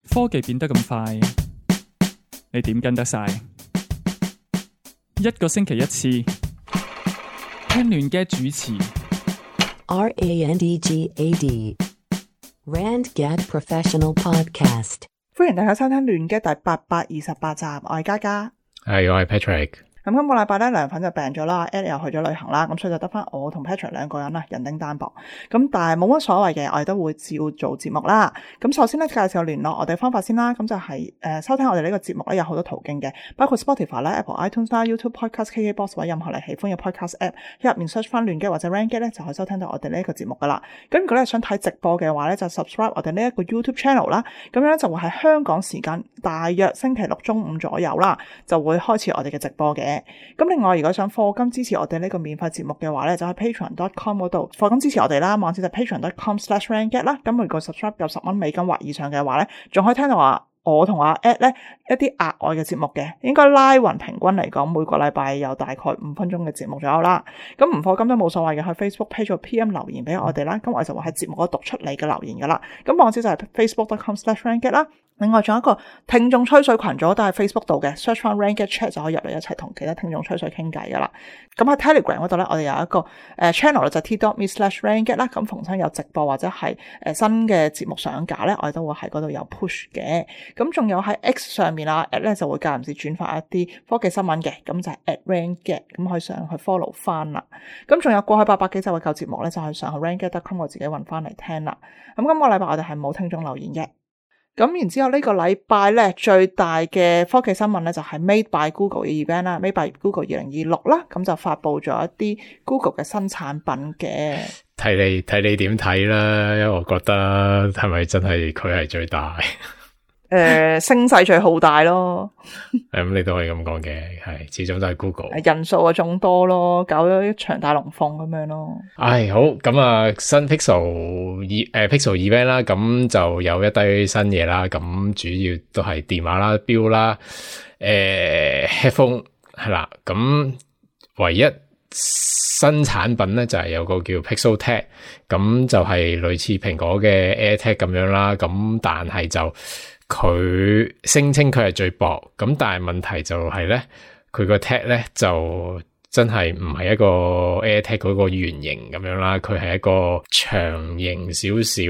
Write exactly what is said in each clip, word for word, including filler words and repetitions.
科技變得咁快，你點跟得晒？一個星期一次，聽亂嘅主持。R A N D G A D Rand Gad Professional Podcast。歡迎大家收聽亂嘅第八百二十八集，我係嘉嘉，係我係 Patrick。咁今個禮拜咧，涼粉就病咗啦 ，Ed 又去咗旅行啦，咁所以就得翻我同 Patrick 兩個人啦，人丁單薄。咁但係冇乜所謂嘅，我哋都會照做節目啦。咁首先咧，介紹聯絡我哋方法先啦。咁就係、是、誒、呃、收聽我哋呢個節目咧，有好多途徑嘅，包括 Spotify 啦、Apple iTunes 啦、YouTube Podcast、K K Box 或者任何你喜歡嘅 Podcast App， 入面 search 翻亂嘅或者 Rand Gad 咧，就可以收聽到我哋呢一個節目噶啦。咁如果你想睇直播嘅話咧，就 subscribe 我哋呢一個 YouTube channel 啦。咁樣就會喺香港時間大約星期六中午左右啦，就會開始我哋嘅直播嘅。咁另外，如果想課金支持我哋呢個免費節目嘅話咧，就喺 patreon dot com 嗰度課金支持我哋啦。網址就 patreon dot com slash rand gad 啦。咁每個 subscribe 有十蚊美金或以上嘅話咧，仲可以聽到話我同阿 Ed 咧一啲額外嘅節目嘅，應該拉勻平均嚟講，每個禮拜有大概五分鐘嘅節目左右啦。咁唔課金都冇所謂嘅，去 Facebook page 或 P M 留言俾我哋啦。咁我哋就會喺節目嗰度讀出你嘅留言噶啦。咁網址就係 facebook dot com slash rand gad 啦。另外仲有一個聽眾吹水群組都喺 Facebook 度嘅 ，search 翻 Rand Gad Chat 就可以入嚟一齊同其他聽眾吹水傾偈噶啦。咁喺 Telegram 嗰度咧，我哋有一個誒、呃、channel 就係 t dot me slash rand gad 啦。咁逢親有直播或者係誒、呃、新嘅節目上架咧，我哋都會喺嗰度有 push 嘅。咁仲有喺 X 上面啊 ，at 咧就會間唔時轉發一啲科技新聞嘅，咁就係 at Rand Gad，咁可以上去 follow 翻啦。咁仲有過去八百幾集嘅舊節目咧，就係上去 rand gad dot com 我自己揾翻嚟聽啦。咁今個禮拜我哋係冇聽眾留言嘅。咁然之後呢個禮拜咧最大嘅科技新聞咧就係 Made by Google 嘅 event 啦 ，Made by Google 二零二六啦，咁就發佈咗一啲 Google 嘅新產品嘅。睇你睇你點睇啦，因為我覺得係咪真係佢係最大？誒、呃，聲勢最浩大咯。咁、嗯、你都可以咁講嘅，係始終都係 Google。人數啊眾多咯，搞咗一場大龍鳳咁樣咯。唉，好，咁啊，新 Pixel 二誒 Pixel event 啦，咁就有一堆新嘢啦，咁主要都係電話啦、錶啦、誒、呃、headphone 係啦，咁唯一新產品咧就係、是、有個叫 Pixel Tag，咁就係類似蘋果嘅 AirTag 咁樣啦，咁但係就佢聲稱佢係最薄，咁但係問題就係咧，佢個 tag 咧就真係唔係一個 AirTag 嗰個圓形咁樣啦，佢係一個長形少少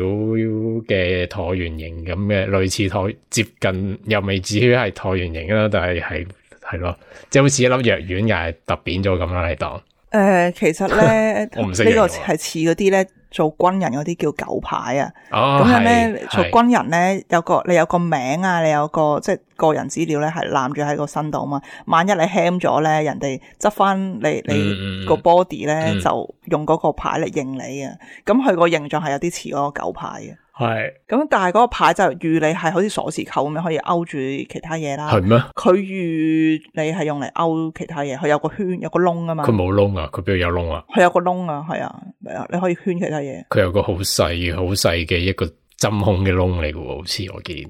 嘅橢圓形咁嘅，類似橢接近又未至於係橢圓形啦，但係係係咯，即係好似一粒藥丸又係突扁咗咁啦，你當。誒、呃，其實咧，我唔識呢個係似嗰啲咧做軍人嗰啲叫狗牌啊。哦，咁樣咧做軍人咧有個你有個名啊，你有個即係個人資料咧係攬住喺個身度啊嘛。萬一你 ham 咗咧，人哋執翻你你個 body 咧、嗯、就用嗰個牌嚟認你啊。咁佢個形狀係有啲似嗰個狗牌嘅。係，咁但係嗰個牌就預你係好似鎖匙扣咁樣可以勾住其他嘢啦。係咩？佢預你係用嚟勾其他嘢，佢有個圈有個窿啊嘛。佢冇窿啊？佢邊度有窿啊？佢有個窿啊，係啊，係啊，你可以圈其他嘢。佢有個好細好細嘅一個針孔嘅窿嚟嘅喎，好似我見。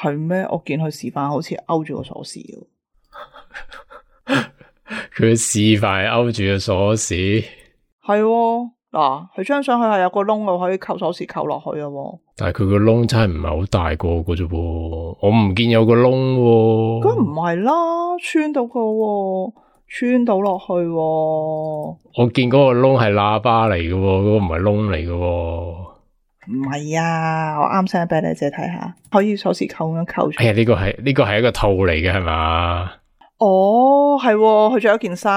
係咩？我見佢示範好似勾住個鎖匙嘅。佢示範勾住個鎖匙。係喎。嗱，佢張相佢係有個窿嘅，可以扣鎖匙扣落去嘅喎。但係佢個窿真係唔係好大個嘅啫噃，我唔見有個窿喎。咁唔係啦，穿到個喎，穿到落去喎。我見嗰個窿係喇叭嚟嘅喎，嗰、嗰個唔係窿嚟嘅喎。唔係啊，我啱 send 俾你借睇下，可以鎖匙扣咁樣扣住。哎呀，呢、呢個係呢、呢個係一個套嚟嘅係嘛？哦，係，佢着咗件衫。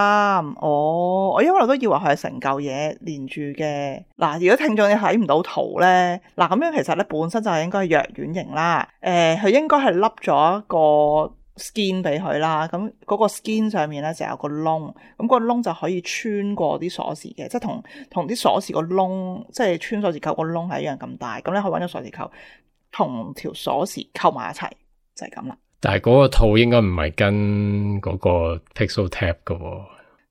哦，我一路都以為佢係成嚿嘢連住嘅。嗱，如果聽眾你睇唔到圖咧，嗱咁樣其實咧本身就係應該係藥丸型啦。誒、呃，佢應該係笠咗一個 skin 俾佢啦。咁嗰個 skin 上面咧就有個窿，咁個窿就可以穿過啲鎖匙嘅，即係同同啲鎖匙個窿，即係穿鎖匙扣個窿係一樣咁大。咁你可以揾咗鎖匙扣同條鎖匙扣埋一齊，就係咁啦。但係嗰個套應該唔係跟嗰個 Pixel Tab 噶喎，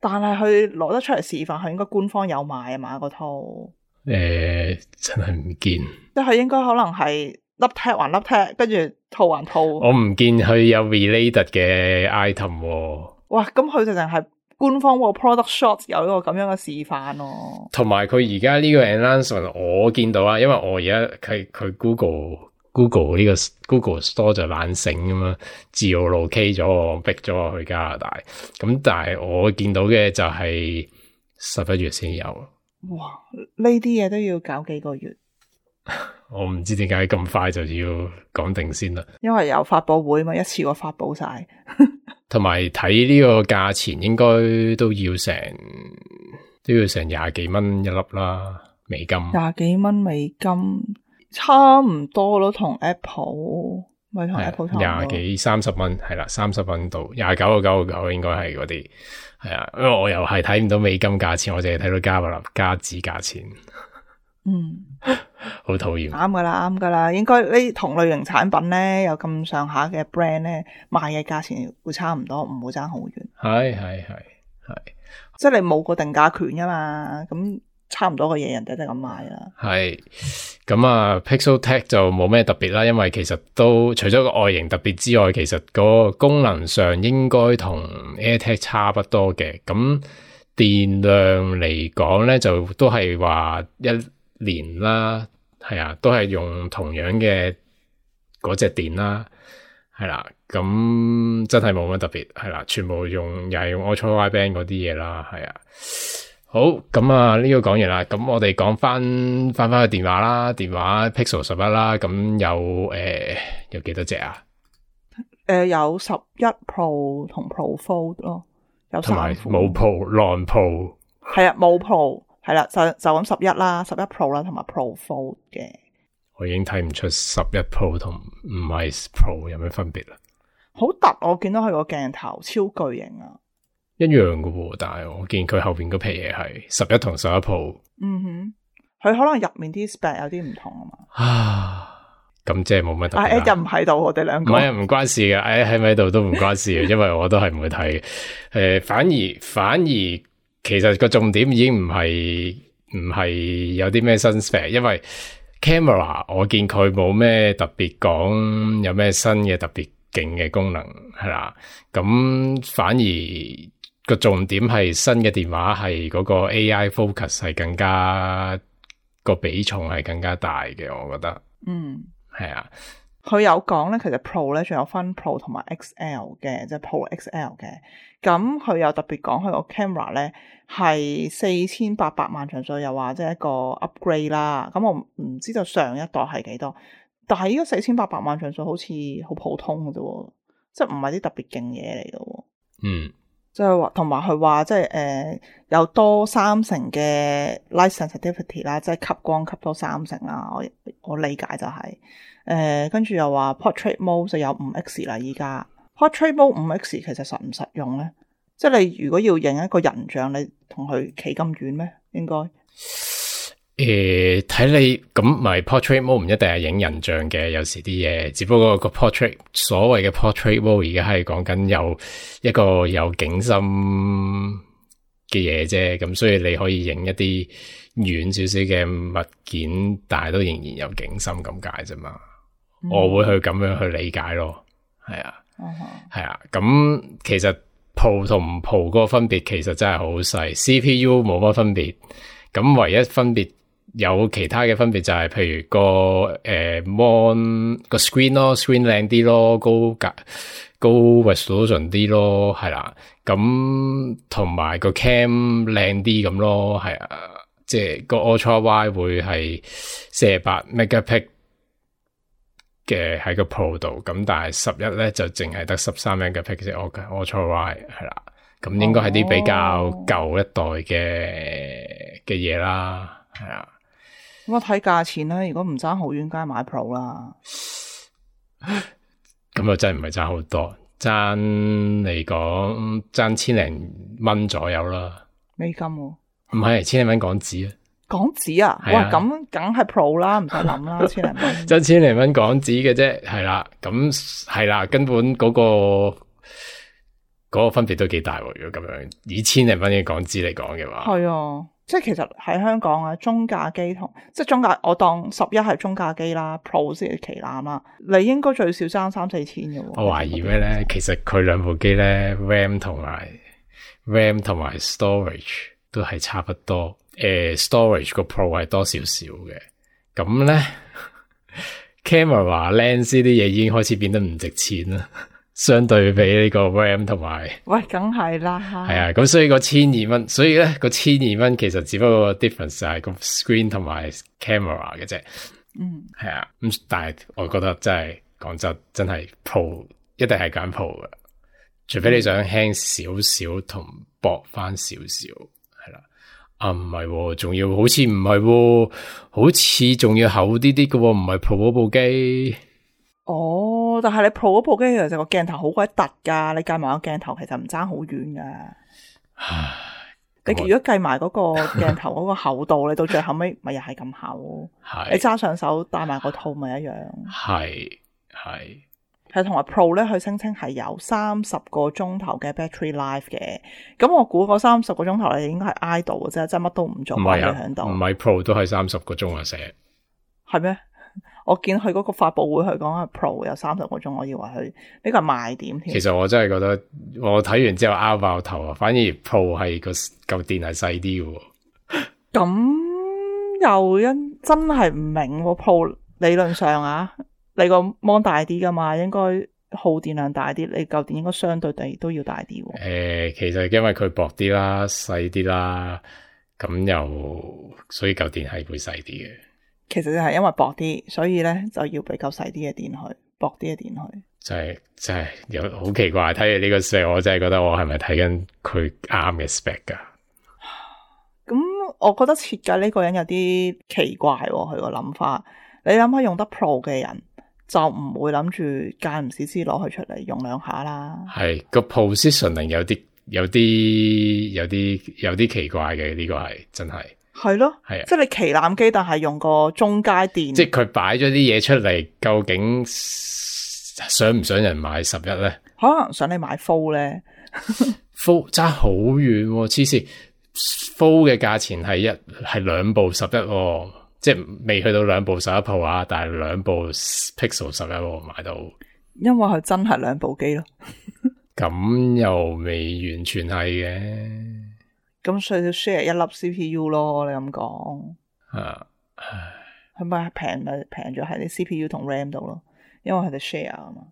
但係佢攞得出嚟示範，佢應該官方有賣啊嘛，個套。誒、欸，真係唔見，即係應該可能係粒 tag 還粒 tag，跟住套還套。我唔見佢有 related 嘅 item 喎。哇，咁佢就淨係官方個 product shot 有呢個咁樣嘅示範咯。同埋佢而家呢個 announcement 我見到啊，因為我而家係佢 Google Google 呢個 Google Store 就懶醒咁樣，geolocate 咗我，逼咗我去加拿大。咁但係我見到嘅就係十一月先有。哇！呢啲嘢都要搞幾個月。我唔知點解咁快就要講定先啦。因為有發佈會嘛，一次過發佈晒。同埋睇呢個價錢應該都要成都要成廿幾蚊一粒啦，美金。廿幾蚊美金，差唔多咯，同 Apple 咪同 Apple 差唔多。廿幾三十蚊係啦，三十蚊到廿九個九個九應該係嗰啲係啊，因為我又係睇唔到美金價錢，我淨係睇到加幣加紙價錢。嗯，好討厭。啱噶啦，啱噶啦，應該呢同類型產品咧，有咁上下嘅 brand 咧，賣嘅價錢會差唔多，唔會爭好遠。係係係係，即係你冇個定價權噶嘛，咁差唔多嘅嘢人哋都係咁賣啦。係咁啊 ，Pixel Tech 就冇咩特別啦，因為其實都除咗個外形特別之外，其實個功能上應該同 AirTag 差不多嘅。咁電量嚟講咧，就都係話一年啦，係啊，都係用同樣嘅嗰隻電啦，係啦，咁真係冇乜特別，係啦，全部用又係用 Ultra Wideband 嗰啲嘢啦，係啊，好，咁啊呢個講完啦，咁我哋講翻翻翻去電話啦，電話 Pixel 十一啦，咁有誒、呃、有幾多隻啊？誒、呃，有十一 Pro 同 Pro Fold 咯，有同埋三款。冇 Pro、non Pro，係啊，冇 Pro。係啦，就就咁十一啦，十一 Pro 啦，同埋 Pro Fold 嘅。我已經睇唔出十一 Pro 同唔係 Pro 有咩分別啦。好突，我見到佢個鏡頭超巨型啊，一樣噶喎，但係我見佢後邊嗰皮嘢係十一同十一 Pro。嗯哼，佢可能入面啲 spec 有啲唔同啊嘛。啊，咁即係冇乜特別啦。啊，又唔喺度，我哋兩個。唔係唔關事嘅，誒喺咪喺度都唔關事嘅，因為我都係唔會睇嘅。誒、呃，反而反而。其實個重點已經唔係唔係有啲咩新 spec，因為 camera 我見佢冇咩特別講有咩新嘅特別勁嘅功能係啦，咁反而個重點係新嘅電話係嗰個 A I focus 係更加個比重係更加大嘅，我覺得。嗯，係啊。佢有講咧，其實 Pro 咧仲有分 Pro 同埋 X L 嘅，即係 Pro X L 嘅。咁佢有特別講佢個 camera 咧係四千八百萬像素，又話即係一個 upgrade 啦。咁我唔知道上一代係幾多，但係呢個四千八百萬像素好似好普通嘅啫，即係唔係啲特別勁嘢嚟嘅。嗯，即係話同埋佢話即係誒有多三成嘅 light sensitivity 啦，即係吸光吸多三成啦。我我理解就係、是。誒、呃，跟住又話 Portrait Mode 就有五 X 啦，依家 Portrait Mode 五 X 其實實唔實用咧？即係你如果要影一個人像，你同佢企咁遠咩？應該誒，睇、呃、你咁咪 Portrait Mode 唔一定係影人像嘅，有時啲嘢，只不過個 Portrait 所謂嘅 Portrait Mode 而家係講緊有一個有景深嘅嘢啫，咁所以你可以影一啲遠少少嘅物件，但係都仍然有景深咁解啫嘛。我會去咁樣去理解咯，係啊，係、uh-huh. 啊，咁其實 Pro 同唔 Pro 嗰個分別其實真係好細 ，C P U 冇乜分別，咁唯一分別有其他嘅分別就係、是、譬如個誒、呃、mon 個 screen 咯 ，screen 靚啲咯，高格高 resolution 啲咯，係啦、啊，咁同埋個 cam 靚啲咁咯，係啊，即係個 Ultra Wide 會係四十八 megapixel。嘅喺個 Pro 度，咁但係十一咧就淨係得十三 megapixel 嘅 Ultra Wide 係啦，咁應該係啲比較舊一代嘅嘅嘢啦，係啊。咁我睇價錢啦，如果唔爭好遠，梗係買 Pro 啦。咁又真係唔係爭好多，爭嚟講爭千零蚊左右啦。美金喎、啊？唔係千零蚊港紙啊。港紙啊，啊，哇，咁梗係 Pro 啦，唔使諗啦，千零蚊，真千零蚊港紙嘅啫，係啦，咁係啦，根本嗰、嗰個嗰、嗰個分別都幾大喎。如果咁樣以千零蚊嘅港紙嚟講嘅話，係啊，即係其實喺香港啊，中價機同即係中價，我當十一係中價機啦 ，Pro 先係旗艦啦，你應該最少爭三四千嘅。我懷疑咩咧？其實佢兩部機咧 ，RAM 同埋 RAM 同埋 storage 都係差不多。誒、呃、storage 個 Pro 係多少少嘅，咁咧， camera lens 呢啲嘢已經開始變得唔值錢啦，相對比呢個 RAM 同埋，喂，梗係啦，係啊，咁所以個千二蚊，所以咧個千二蚊其實只不過個 difference 就係個 screen 同埋 camera 嘅啫，嗯，係啊，咁但係我覺得真係講真，真係 Pro 一定係揀 Pro 嘅，除非你想輕少少同薄翻少少。啊，唔係，仲要好似唔係，好似仲要厚啲啲嘅，唔係 Pro 嗰部機。哦，但係你 Pro 嗰部機其實個鏡頭好鬼突噶，你計埋個鏡頭其實唔爭好遠噶。唉，你如果計埋嗰個鏡頭嗰個厚度，你到最後尾咪又係咁厚。係你揸上手戴埋個套咪一樣。係係。係同埋 Pro 咧，佢聲稱係有三十個鐘頭嘅 battery life 嘅，咁我估嗰三十個鐘頭你應該係 idle 嘅啫，即係乜都唔做，唔係啊，喺度。唔係 Pro 都係三十個鐘啊，寫係咩？我見佢嗰個發佈會佢講係 Pro 有三十個鐘，我以為佢呢個係賣點添。其實我真係覺得我睇完之後拗爆頭啊，反而 Pro 係個嚿電係細啲嘅。咁又因真係唔明 Pro 理論上啊。你個 mon 大啲噶嘛，應該耗電量大啲，你嚿電應該相對地都要大啲。誒、呃，其實因為佢薄啲啦，細啲啦，咁又所以嚿電係會細啲嘅。其實就係因為薄啲，所以咧就要俾嚿細啲嘅電去，薄啲嘅電去。就係真係有好奇怪，睇完呢個 spec，我真係覺得我係咪睇緊佢啱嘅 spec 噶？咁我覺得設計呢個人有啲奇怪，佢個諗法。你諗下用得 Pro 嘅人。就唔會諗住間唔時先攞佢出嚟用兩下啦。係個 positioning 有啲有啲有啲有啲奇怪嘅，呢、這個係真係係咯，係啊，即係你旗艦機，但係用個中階電，即係佢擺咗啲嘢出嚟，究竟想唔想人買十一咧？可能想你買 Full 咧，Full 差好遠，黐線 Full 嘅價錢係一係兩部十一、哦。即係未去到兩部十一 Pro 啊，但係兩部 Pixel 十一買到，因為佢真係兩部機咯。咁又未完全係嘅，咁所以要 share 一粒 C P U 咯。你咁講，啊，係咪平咪平咗喺啲 C P U 同 RAM 度咯？因為佢哋 share 啊嘛。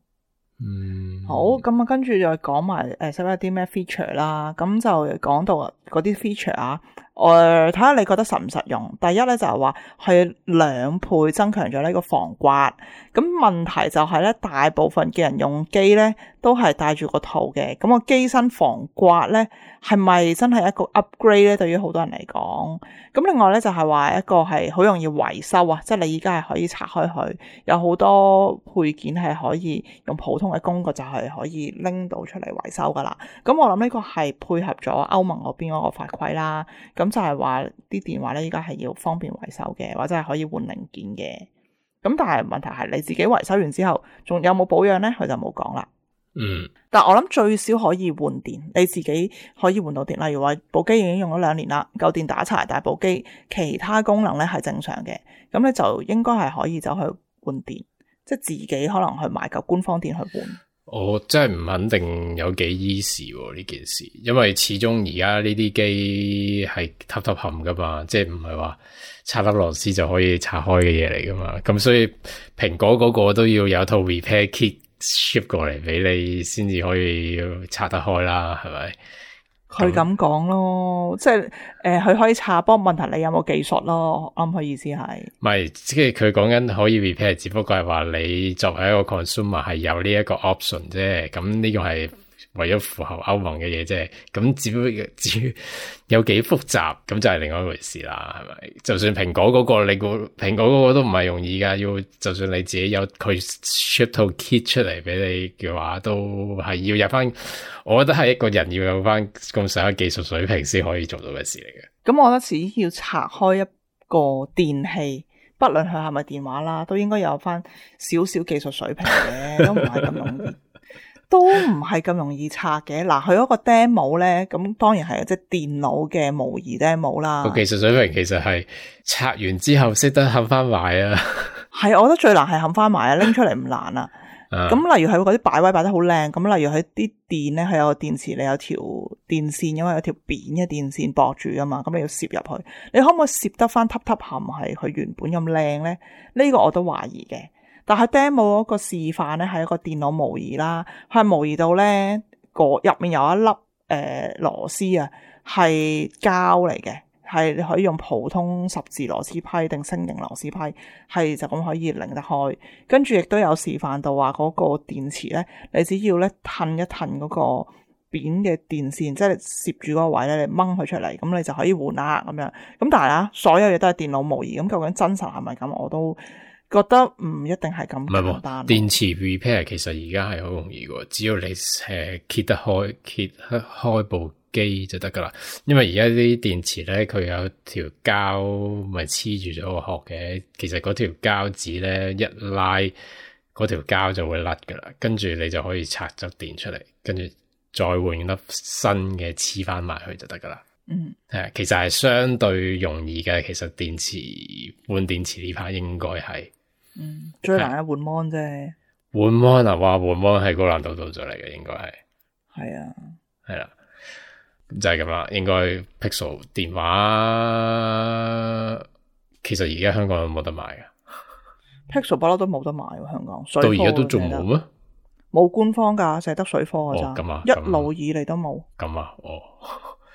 嗯，好，咁啊，跟住再講埋誒，使唔使啲咩 feature 啦？咁就講到嗰啲 feature 啊。我睇下你覺得實唔實用。第一咧就係話係兩倍增強咗呢個防刮。咁問題就係咧，大部分嘅人用機咧都係帶住個套嘅。咁個機身防刮咧係咪真係一個 upgrade 咧？對於好多人嚟講，咁另外咧就係話一個係好容易維修啊，即係你而家係可以拆開佢，有好多配件係可以用普通嘅工具就係可以拎到出嚟維修噶啦。咁我諗呢個係配合咗歐盟嗰邊嗰個法規啦。咁就係話啲電話咧，依家係要方便維修嘅，或者係可以換零件嘅。咁但係問題係你自己維修完之後，仲有冇保養咧？佢就冇講啦。嗯。但我諗最少可以換電，你自己可以換到電。例如話部機已經用咗兩年啦，舊電打柴，但係部機其他功能咧係正常嘅，咁你就應該係可以走去換電，即係自己可能去買嚿官方電去換。我真係唔肯定有幾 easy 呢件事，因為始終而家呢啲機係凸凸冚噶嘛，即係唔係話拆粒螺絲就可以拆開嘅嘢嚟噶嘛，咁所以蘋果嗰個都要有套 repair kit ship 過嚟俾你先至可以拆得開啦，係咪？佢咁講咯，即係誒，佢、呃、可以拆，不過問題你有冇技術咯？啱佢意思係，唔係，即係佢講緊可以 repair，只不過係話你作為一個 consumer 係有呢一個 option 啫。咁呢個係為咗符合歐盟嘅嘢啫。咁只不過至於有幾複雜，咁就係另外一回事啦，係咪？就算蘋果嗰個，你個蘋果嗰個都唔係容易噶，要就算你自己有佢 ship 套 kit 出嚟俾你嘅話，都係要有翻。我覺得係一個人要有翻咁上下技術水平先可以做到嘅事嚟嘅。咁我覺得只要拆開一個電器，不論佢係咪電話啦，都應該有翻少少技術水平嘅，都唔係咁容易，都唔係咁容易拆嘅。嗱，佢嗰個 demo 咧，咁當然係即係電腦嘅模擬 demo 啦。個技術水平其實係拆完之後識得冚翻埋啊。係，我覺得最難係冚翻埋啊，拎出嚟唔難啊。咁、uh, 例如係嗰啲擺位擺得好靚，咁例如佢啲電咧，係有個電池，你有條電線，因為有條扁嘅電線駁住噶嘛，咁你要攝入去，你可唔可以攝得翻凸凸冚係佢原本咁靚咧？呢、這個我都懷疑嘅。但係 demo 嗰個示範咧係一個電腦模擬啦，佢係模擬到咧個入面有一粒誒、呃、螺絲啊，係膠嚟嘅，係你可以用普通十字螺絲批定星形螺絲批，係就咁可以擰得開。跟住亦都有示範到話嗰個電池咧，你只要咧褪一褪嗰個扁嘅電線，即係你攝住嗰個位咧，你掹佢出嚟，咁你就可以換啦咁樣。咁但係啊，所有嘢都係電腦模擬，咁究竟真實係咪咁？我都覺得唔一定係咁簡單。電池 repair 其實而家係好容易嘅，只要你誒揭得開揭開部機就得噶啦。因為而家啲電池咧，佢有條膠咪黐住咗個殼嘅，其實嗰條膠紙咧一拉，嗰條膠就會甩噶啦，跟住你就可以拆咗電出嚟，跟住再換粒新嘅黐翻埋去就得噶啦。嗯，係，其實係相對容易嘅。其實電池換電池呢 part 應該係，嗯，最難係換 mon 啫。換 mon 啊，哇，換 mon 係高難度到咗嚟嘅，應該係。係啊，係啦，就係咁啦。應該 Pixel 電話，其實而家香港有冇得買噶 Pixel 不嬲都冇得買喎，香港。到而家都仲冇咩？冇官方㗎，淨係得水貨㗎咋。哦，咁啊，一路以嚟都冇。咁啊，哦。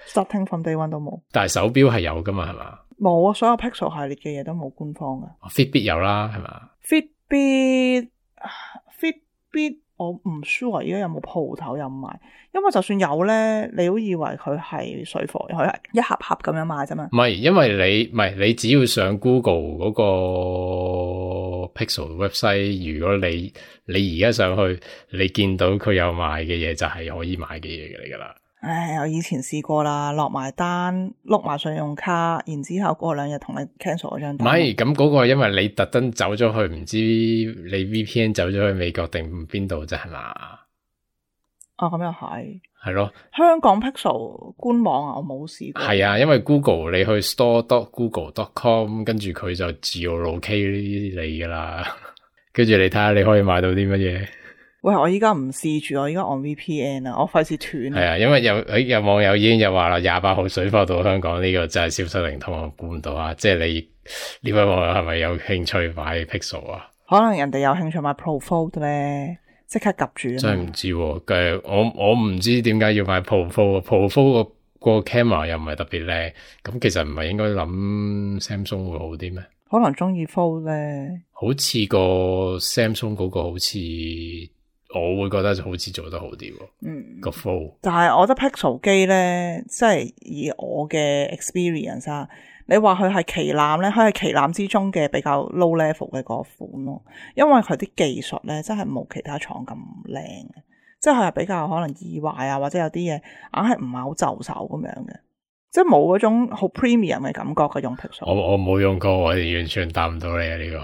Starting from day one 都冇。但係手錶係有㗎嘛，係嘛？冇啊，所有 Pixel 系列嘅嘢都冇官方㗎。Fitbit 有啦，係嘛 ？Fitbit，Fitbit 我唔 sure 而家有冇鋪頭有賣，因為就算有咧，你都以為佢係水貨，佢係一盒盒咁樣賣啫嘛。唔係，因為你唔係你只要上 Google 嗰個 Pixel website， 如果你你而家上去，你見到佢有賣嘅嘢，就係可以買嘅嘢嚟噶啦。唉，我以前試過啦，落埋單，碌埋信用卡，然之後過兩日同你 cancel 嗰張單。唔係，咁嗰個因為你特登走咗去，唔知你 V P N 走咗去美國定邊度啫，係嘛？哦，咁又係。係咯，香港 Pixel 官網啊，我冇試過。係啊，因為 Google 你去 store dot google dot com， 跟住佢就 geolocate 你噶啦，跟住你睇下你可以買到啲乜嘢。喂，我依家唔試住，我依家按 V P N 啊，我費事斷。係啊，因為有誒有網友已經有話啦，廿八號水貨到香港呢個真係消失靈通，我估唔到啊！即係你呢位網友係咪有興趣買 Pixel 啊？可能人哋有興趣買 Pro Fold 咧，即刻夾住。真係唔知喎，誒我我唔知點解要買 Pro Fold，Pro Fold 個個 camera 又唔係特別靚，咁其實唔係應該諗 Samsung 會好啲咩？可能中意 Fold 咧，好似個 Samsung 嗰個好似。我會覺得就好似做得好啲喎，嗯，個 Fold。但係我覺得 Pixel 機咧，即係以我嘅 experience 啊，你話佢係旗艦咧，佢係旗艦之中嘅比較 low level 嘅嗰款咯，因為佢啲技術咧真係冇其他廠咁靚嘅，即係佢係比較可能易壞啊，或者有啲嘢硬係唔係好就手咁樣嘅，即係冇嗰種好 premium 嘅感覺嘅用 Pixel。我我冇用過，我完全答唔到你啊呢、這個，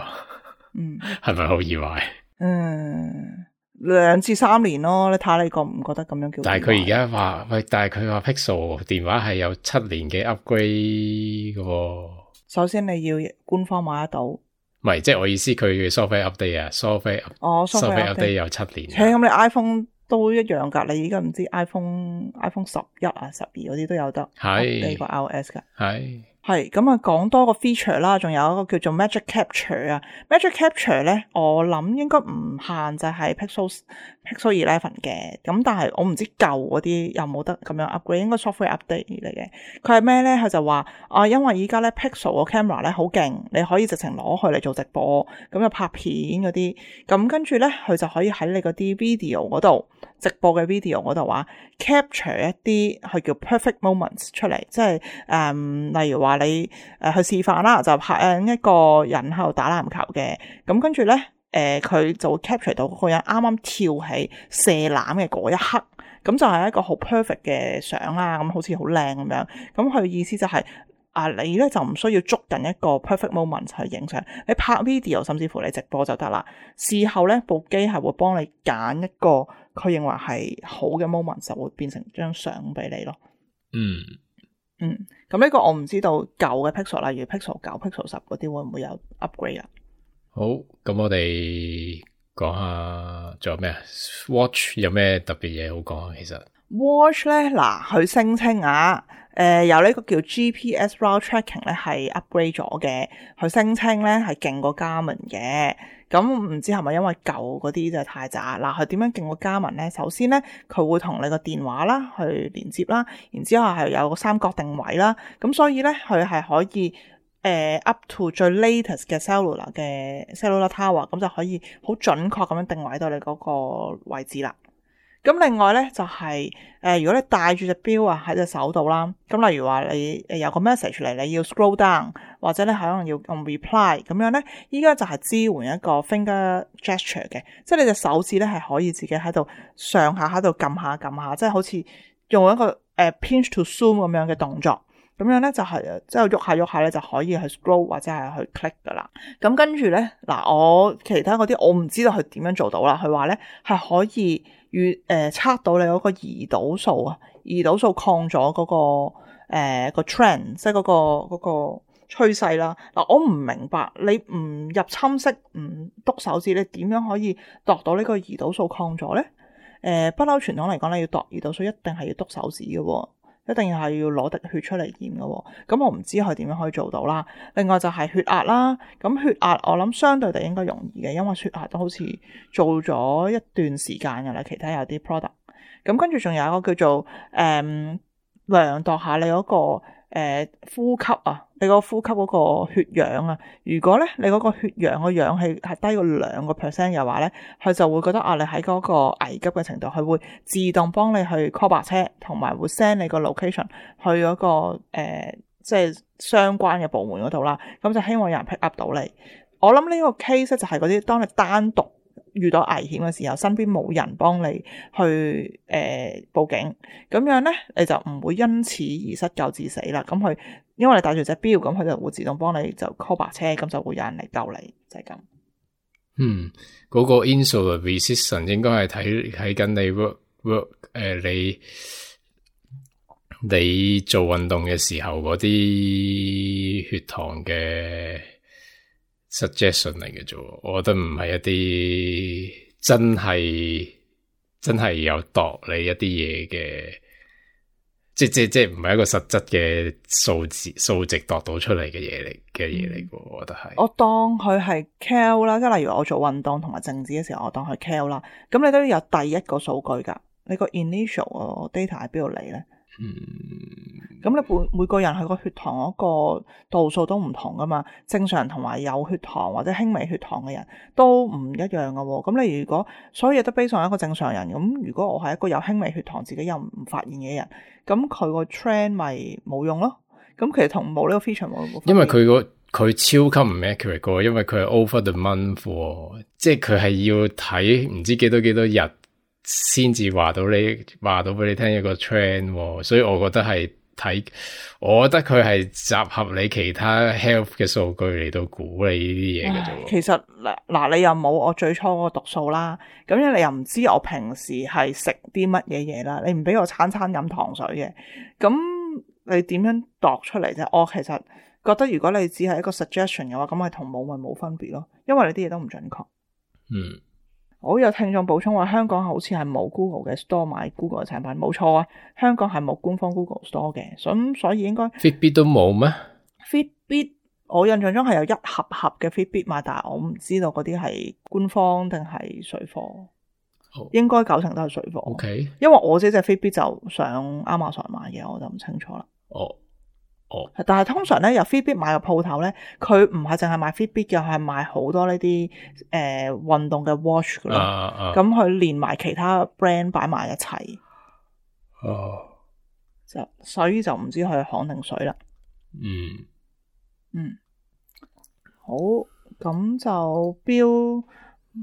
嗯，係咪好易壞？嗯。兩至三年咯，你睇下你覺唔覺得咁樣叫？但係佢而家話喂，但係佢話 Pixel 電話係有七年嘅 upgrade 嘅喎。首先你要官方買得到，唔係即係我意思，佢嘅 software update 啊 ，software 哦 software update 有七年。咁、嗯、你 iPhone 都一樣噶，你而家唔知 iPhone iPhone 十一啊、十二嗰啲都有得係呢個 iOS 噶係。係咁啊，講多個 feature 啦，仲有一個叫做 Magic Capture 啊。Magic Capture 咧，我諗應該唔限制係 Pixel Pixel eleven 嘅，咁但係我唔知舊嗰啲有冇得咁樣 upgrade，應該 software update 嚟嘅。佢係咩咧？佢就話啊，因為依家咧 Pixel 個 camera 咧好勁，你可以直情攞去嚟做直播，咁就拍片嗰啲，咁跟住咧佢就可以喺你嗰啲 video 嗰度。直播嘅 video 嗰度話 capture 一啲佢叫 perfect moments 出嚟，即係誒、嗯，例如話你誒、呃、去示範啦，就拍一個人喺度打籃球嘅，咁跟住咧誒佢就會 capture 到嗰個人啱啱跳起射籃嘅嗰一刻，咁就係一個好 perfect 嘅相啦，咁好似好靚咁樣，咁佢意思就係、是。啊！你咧就唔需要捉緊一個 perfect moment 去影相，你拍 video 甚至乎你直播就得啦。事後咧部機係會幫你揀一個佢認為係好嘅 moment，就會變成張相俾你咯。嗯嗯，咁呢個我唔知道舊嘅 Pixel， 例如 Pixel 九、Pixel 十嗰啲會唔會有 upgrade 啊？好，咁我哋講下仲有咩啊 ？Watch 有咩特別嘢好講啊？其實 Watch 咧，嗱佢聲稱啊，誒、呃、有呢個叫 G P S route tracking 咧係 upgrade 咗嘅，佢聲稱咧係勁過 Garmin 嘅。咁唔知係咪因為舊嗰啲就太渣？嗱，佢點樣勁過 Garmin咧？首先咧，佢會同你個電話啦去連接啦，然之後係有個三角定位啦，咁所以咧佢係可以誒、呃、up to 最 latest 嘅 cellular 嘅 cellular tower， 咁就可以好準確咁樣定位到你嗰個位置啦。咁另外咧就係、是、誒、呃，如果你帶住隻錶啊喺隻手度啦，咁例如話你誒有個 message 嚟，你要 scroll down， 或者你可能要用 reply 咁樣咧，依家就係支援一個 finger gesture 嘅，即係你隻手指咧係可以自己喺度上下喺度撳下撳下，即係好似用一個誒、呃、pinch to zoom 咁樣嘅動作。咁樣咧就係即係喐下喐下咧就可以去 scroll 或者係去 click 噶啦。咁跟住咧嗱，我其他嗰啲我唔知道佢點樣做到啦。佢話咧係可以預誒測到你嗰個胰島素啊，胰島素抗咗嗰、嗰個誒、呃嗰個 trend， 即係嗰、嗰個嗰、嗰個趨勢啦。嗱，我唔明白你唔入侵式唔篤手指，你點樣可以度到呢個胰島素抗咗咧？誒、呃，不嬲傳統嚟講，你要度胰島素一定係要篤手指嘅喎。一定係要攞滴血出嚟驗嘅喎，咁我唔知佢點樣可以做到啦。另外就係血壓啦，咁血壓我諗相對地應該容易嘅，因為血壓都好似做咗一段時間㗎啦。其他有啲 product， 咁跟住仲有一個叫做誒、嗯、量度下你嗰、嗰個、呃、呼吸啊，你個呼吸嗰個血氧啊。如果咧你嗰個血氧個氧氣係低過兩個 percent 嘅話咧，佢就會覺得啊，你喺嗰個危急嘅程度，佢會自動幫你去 call 白車，同埋會 send 你個 location 去嗰、嗰個誒、呃、即係相關嘅部門嗰度啦。咁就希望有人 pick up 到你。我諗呢個 case 就係嗰啲當你單獨遇到危險嘅時候，身邊冇人幫你去誒、呃、報警，咁樣咧你就唔會因此而失救致死啦。咁佢因為你帶住隻錶，咁佢就會自動幫你就 call 白車，咁就會有人嚟救你，就係、是、咁。嗯，嗰、那個 insulin resistance 應該係睇睇緊你 work work 誒、呃、你你做運動嘅時候嗰啲血糖嘅 suggestion 嚟嘅啫，我覺得唔係一啲真係真係有度你一啲嘢嘅，即即即唔係一個實質嘅數字數值度到出嚟嘅嘢嚟嘅嘢嚟嘅，我覺得係。我當佢係 cal 啦，即係例如我做運動同埋靜止嘅時候，我當佢 cal 啦，咁你都有第一個數據噶，你個 initial 個 data 喺邊度嚟咧？嗯，咁你每每個人佢個血糖嗰個度數都唔同噶嘛，正常人同埋有血糖或者輕微血糖嘅人都唔一樣噶喎。咁你如果所有嘢都 base on一個正常人，咁如果我係一個有輕微血糖自己又唔發現嘅人，咁佢個 trend 咪冇用咯。咁其實同冇呢個 feature 冇。因為佢個佢超級唔 accurate 噶，因為佢係 over the month，即係佢係要睇唔知幾多幾多日。先至話到你話到俾你聽一個 trend， 所以我覺得係睇，我覺得佢係集合你其他 health 嘅數據嚟到估你呢啲嘢嘅啫。其實嗱嗱，你又冇我最初嗰個讀數啦，咁樣你又唔知我平時係食啲乜嘢嘢啦，你唔俾我餐餐飲糖水嘅，咁你點樣度出嚟啫？我其實覺得如果你只係一個 suggestion 嘅話，咁係同冇咪冇分別咯，因為你啲嘢都唔準確。嗯。我有聽眾補充話，香港好似係冇 Google 嘅 store 買 Google 嘅產品，冇錯啊，香港係冇官方 Google store 嘅，咁所以應該 Fitbit 都冇咩 ？Fitbit 我印象中係有一盒盒嘅 Fitbit 買，但係我唔知道嗰啲係官方定係水貨，oh. 應該九成都係水貨。OK，因為我自己隻 Fitbit 就上 Amazon 買嘅，我就唔清楚啦。哦。Oh. Oh. 但係通常咧，由 Fitbit 買嘅鋪頭咧，佢唔係淨係賣 Fitbit 嘅，係賣好多呢啲誒運動嘅 watch 噶啦。咁佢、uh, uh. 連埋其他 brand 擺埋一齊。哦。Uh. 就所以就唔知佢係行定水啦。嗯。Mm. 嗯。好，咁就標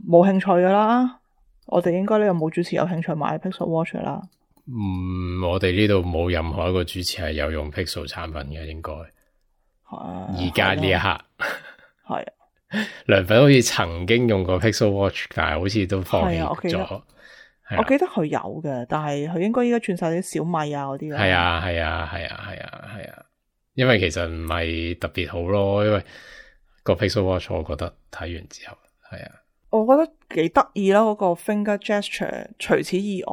冇興趣噶啦。我哋應該呢個冇主持有興趣買 Pixel Watch 啦。嗯，我哋呢度冇任何一個主持係有用 Pixel 產品嘅，應該係而家呢一刻係啊。良粉好似曾經用過 Pixel Watch， 但係好似都放棄咗。我記得佢有嘅，但係佢應該依家轉晒啲小米啊嗰啲。係啊係啊係啊係啊係啊，因為其實唔係特別好咯，因為個 Pixel Watch 我覺得睇完之後係啊，我覺得幾得意啦，嗰個 finger gesture，除此以外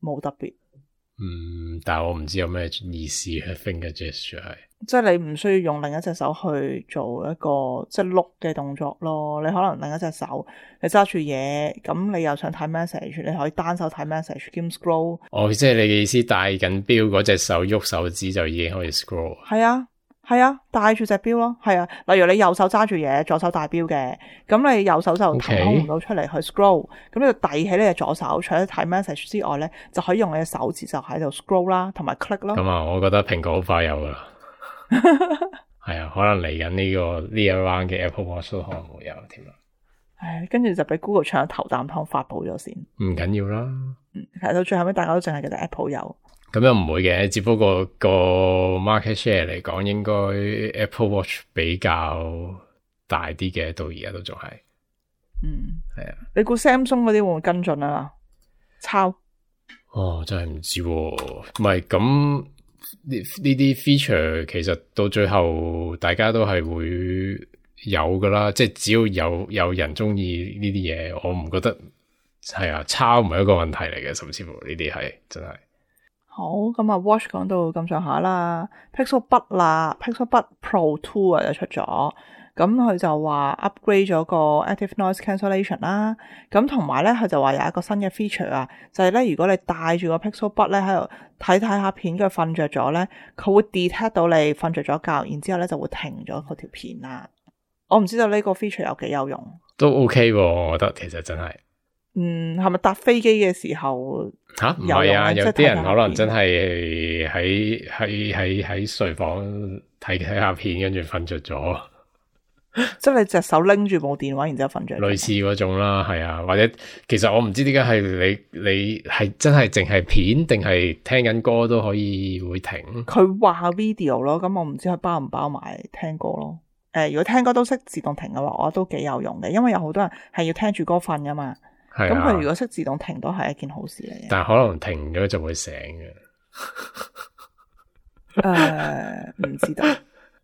冇特別。嗯，但係我唔知有咩意思嘅 finger gesture 係。即係你唔需要用另一隻手去做一個即係碌嘅動作咯，你可能另一隻手你揸住嘢，咁你又想睇 message， 你可以單手睇 message 兼 scroll。哦，即係你嘅意思戴緊錶嗰隻手喐手指就已經可以 scroll。係啊，係啊，戴住隻錶咯，係啊。例如你右手揸住嘢，左手戴錶嘅，咁你右手就騰空唔到出嚟去 scroll，咁你就遞起你隻左手，除咗睇 message 之外咧，就可以用你嘅手指就喺度 scroll 啦，同埋 click 咯。咁啊，我覺得蘋果好快有噶啦。係啊，可能嚟緊呢個呢一 round 嘅 Apple Watch 都可能會有添啦。唉，跟住就俾 Google 搶咗頭啖湯發布咗先。唔緊要啦。嗯，係到最後尾大家都淨係記得 Apple 有。咁又唔會嘅，只不過個 market share 嚟講，應該 Apple Watch 比較大啲嘅，到而家都仲係。嗯，係啊。你估 Samsung 嗰啲會唔會跟進啊？抄？哦，真係唔知喎。唔係咁。呢呢啲 feature 其實到最後大家都係會有噶啦，即係只要有有人中意呢啲嘢，我唔覺得係啊，抄唔係一個問題嚟嘅，甚至乎呢啲係真係。好，咁啊 Watch 講到咁上下啦 ，Pixel Buds 啦 ，Pixel Buds Pro Two 啊就出咗。咁佢就話 upgrade 咗個 active noise cancellation 啦，咁同埋咧佢就話有一個新嘅 feature 啊，就係、是、咧如果你戴住個 Pixel Buds 咧喺度睇睇下片，佢瞓着咗咧，佢會 detect 到你瞓着咗覺，然之後咧就會停咗嗰條片啦。我唔知道呢個 feature 有幾有用，都 OK 喎，我覺得其實真係。嗯，係咪搭飛機嘅時候吓？唔係啊，有啲人可能真係喺喺喺喺睡房睇睇下片，跟住瞓着咗。即係你隻手拎住部電話，然之後瞓着。類似嗰種啦，係啊，或者其實我唔知點解係你你係真係淨係片定係聽緊歌都可以會停。佢話 video 咯，咁我唔知佢包唔包埋聽歌咯。誒、呃，如果聽歌都識自動停嘅話，我覺得都幾有用嘅，因為有好多人係要聽住歌瞓噶嘛。係咁佢如果識自動停都係一件好事嚟嘅。但係可能停咗就會醒嘅。誒、呃，唔知道。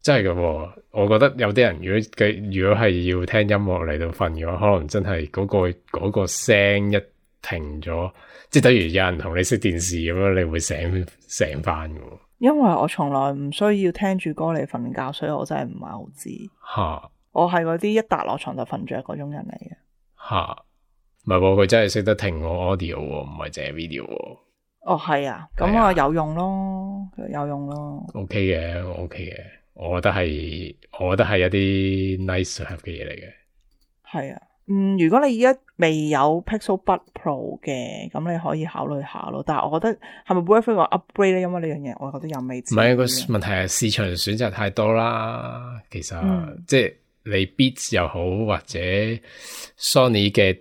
真係噶，我覺得有啲人如果佢如果係要聽音樂嚟到瞓嘅話，可能真係嗰、嗰個、嗰個聲一停咗，即係等於有人同你熄電視咁樣，你會醒醒翻噶。因為我從來唔需要聽住歌嚟瞓覺，所以我真係唔係好知。吓哈，我係嗰啲一笪落床就瞓着嗰種人嚟嘅。吓，唔係喎，佢真係識得停我 audio，唔係淨係 video。哦，係啊，咁啊有用咯，有用咯。OK 嘅，OK 嘅。我覺得係，我覺得係一啲 nice to have 嘅嘢嚟嘅。係啊，嗯，如果你而家未有 Pixel Buds Pro 嘅，咁你可以考慮下咯。但係我覺得係咪 worth 個 upgrade 咧？因為呢樣嘢，我覺得又未知。唔係個問題係市場選擇太多啦。其實、嗯、即係你 Beats 又好，或者 Sony 嘅，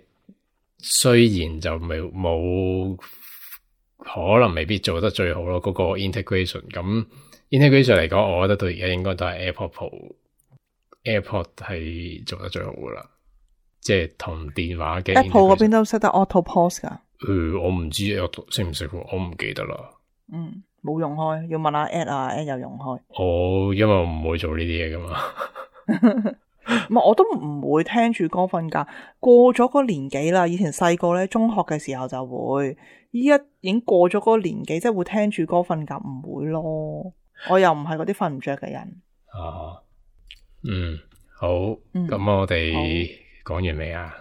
雖然就未冇可能未必做得最好咯。嗰、嗰個 integration 咁。integration 嚟講，我覺得到而家應該都係 AirPod Pro、AirPod 係做得最好噶啦，即係同電話嘅 Apple 嗰邊都識得 Auto Pause 噶。誒、呃，我唔知識唔識，我唔記得啦。嗯，冇用開，要問下 Ed 啊 ，Ed 有用開。我因為我唔會做呢啲嘢噶嘛。唔係，我都唔會聽住歌瞓覺。過咗個年紀啦，以前細個咧，中學嘅時候就會，依家已經過咗嗰個年紀，即係會聽住歌瞓覺，唔會咯。我又唔係嗰啲瞓唔着嘅人。啊，嗯，好，咁、嗯、我哋講完未啊？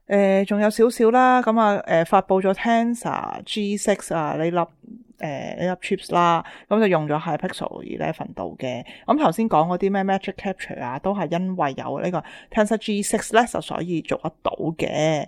誒、呃，仲有少少啦，咁啊，誒、呃，發佈咗 Tensor G 六啊呢粒誒呢粒 chips 啦，咁就用咗喺 Pixel 十一度嘅。咁頭先講嗰啲咩 Magic Capture 啊，都係因為有呢個 Tensor G 六咧，就所以做得到嘅。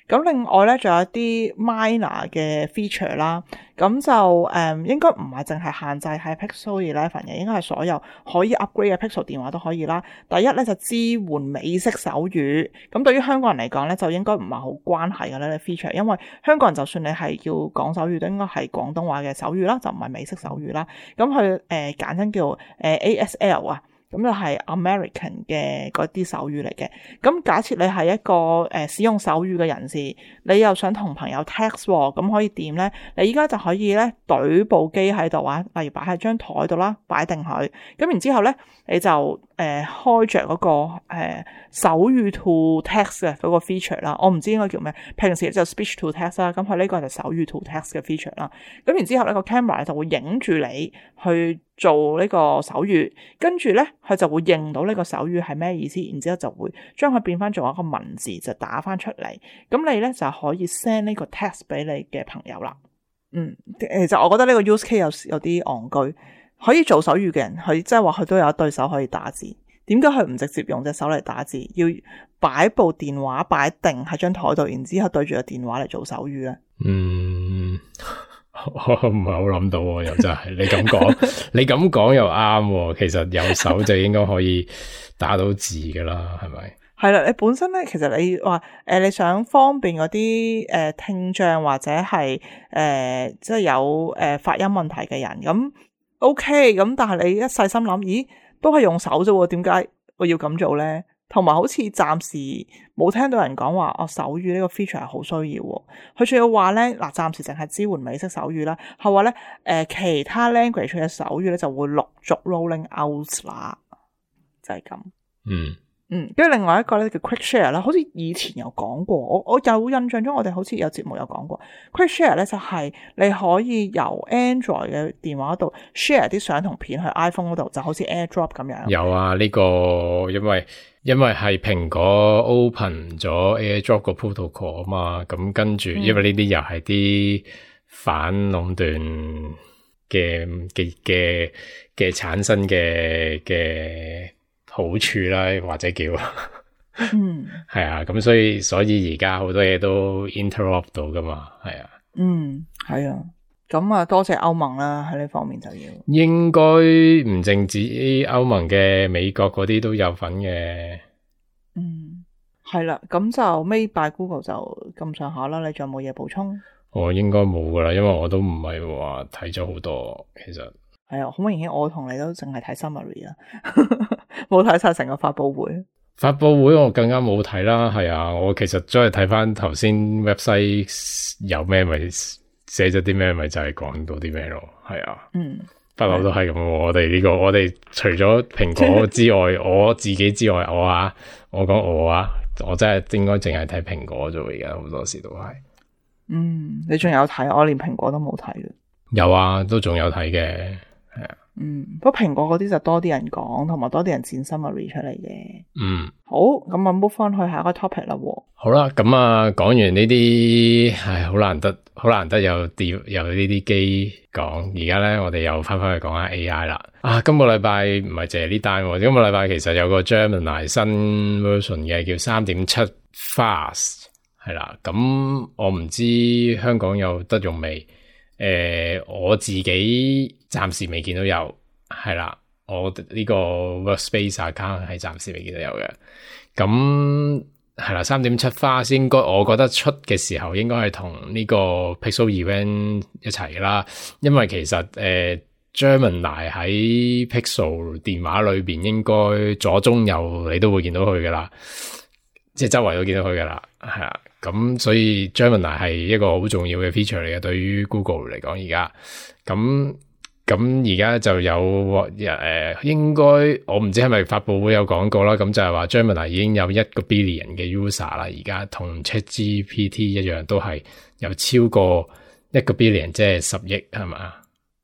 咁另外咧，仲有啲 minor 嘅 feature 啦，咁就誒、嗯、應該唔係淨係限制喺 Pixel 十一嘅，應該係所有可以 upgrade 嘅 Pixel 電話都可以啦。第一咧就支援美式手語，咁對於香港人嚟講咧，就應該唔係好關係嘅呢個 feature，因為香港人就算你係要講手語，都應該係廣東話嘅手語啦，就唔係美式手語啦。咁佢誒簡稱叫誒 A S L 啊。咁就係 American 嘅嗰啲手語嚟嘅。咁假設你係一個誒、呃、使用手語嘅人士，你又想同朋友 text 喎、哦，咁可以點咧？你依家就可以咧懟部機喺度啊，例如擺喺張台度啦，擺定佢。咁然之後咧，你就誒誒開着嗰個誒手語 to text 嘅嗰個 feature 啦，我唔知應該叫咩，平時就 speech to text 啦，咁佢呢個就手語 to text 嘅 feature 啦。咁然之後呢個 camera 就會影住你去做呢個手語，跟住咧佢就會認到呢個手語係咩意思，然之後就會將佢變翻做一個文字就打翻出嚟，咁你咧就可以 send 呢個 text 俾你嘅朋友啦。嗯，其實我覺得呢個 use case 有有啲戇居。可以做手語嘅人，佢即係話佢都有一對手可以打字，點解佢唔直接用隻手嚟打字，要擺部電話擺定喺張台度，然之後對住個電話嚟做手語咧？嗯，我唔係好諗到，又真係你咁講，你咁講又啱，其實有手就應該可以打到字噶啦，係咪？係啦，你本身咧，其實你話誒、呃，你想方便嗰啲誒聽障或者係誒即係有誒、呃、發音問題嘅人咁。O K， 咁但係你一細心諗，咦，都係用手啫，點解我要咁做咧？同埋好似暫時冇聽到人講話，哦，手語呢個 feature 係好需要。佢仲要話咧，嗱，暫時淨係支援美式手語啦。係話咧，誒、呃，其他 language 嘅手語咧就會陸續 rolling out 啦，就係、是、咁。嗯。嗯，跟住另外一個咧叫 Quick Share 啦，好似以前有講過，我我有印象中我哋好似有節目有講過 Quick Share 咧，就係你可以由 Android 嘅電話度 share 啲相同片去 iPhone 嗰度，就好似 AirDrop 咁樣。有啊，呢、這個因為因為係蘋果 open 咗 AirDrop 個 protocol 啊嘛，咁跟住、嗯、因為呢啲又係啲反壟斷嘅嘅嘅嘅產生嘅嘅。好處啦，或者叫，嗯，係啊，咁所以所以而家好多嘢都 interrupt 到噶嘛，係啊，嗯，係啊，咁啊多謝歐盟啦，喺呢方面就要，應該唔淨止歐盟嘅，美國嗰啲都有份嘅，嗯，係啦，咁就 Made by Google 就咁上下啦，你仲有冇嘢補充？我應該冇噶啦，因為我都唔係話睇咗好多，其實係啊，好明顯我同你都淨係睇 summary 啦。冇睇晒成個發佈會，發佈會我更加冇睇啦。係啊，我其實再睇翻頭先 website 有咩咪寫咗啲咩咪就係講到啲咩咯。係啊，嗯，不嬲都係咁。我哋呢、這個我哋除咗蘋果之外，我自己之外，我啊，我講我啊，我真係應該淨係睇蘋果啫。而家好多時都係，嗯，你仲有睇？我連蘋果都冇睇嘅。有啊，都仲有睇嘅。係啊，嗯，不過蘋果嗰啲就多啲人講，同埋多啲人剪 summary 出嚟嘅。嗯，好，咁啊 move 翻去下一個 topic 啦。好啦，咁啊講完呢啲，唉，好難得，好難得有啲有呢啲機講。而家咧，我哋又翻翻去講下 A I 啦。啊，今個禮拜唔係淨係呢單，今個禮拜其實有個 Gemini 新 version 嘅，叫三點七 Fast 係啦。咁我唔知香港有得用未？誒、呃，我自己暫時未見到有，係啦，我呢個 Workspace account 係暫時未見到有嘅。咁係啦，三點七花先，應該我覺得出嘅時候應該係同呢個 Pixel Event 一齊啦，因為其實誒、呃、Gemini 喺 Pixel 電話裏邊應該左中右你都會見到佢噶啦，即係周圍都見到佢噶啦，係啦。咁所以 Gemini 係一個好重要嘅 feature 嚟嘅，對於 Google 嚟講而家，咁咁而家就有誒、呃，應該我唔知係咪發佈會有講過啦，咁就係話 Gemini 已經有一個 billion 嘅 user 啦，而家同 ChatGPT 一樣，都係有超過一個 billion，即係十億係嘛？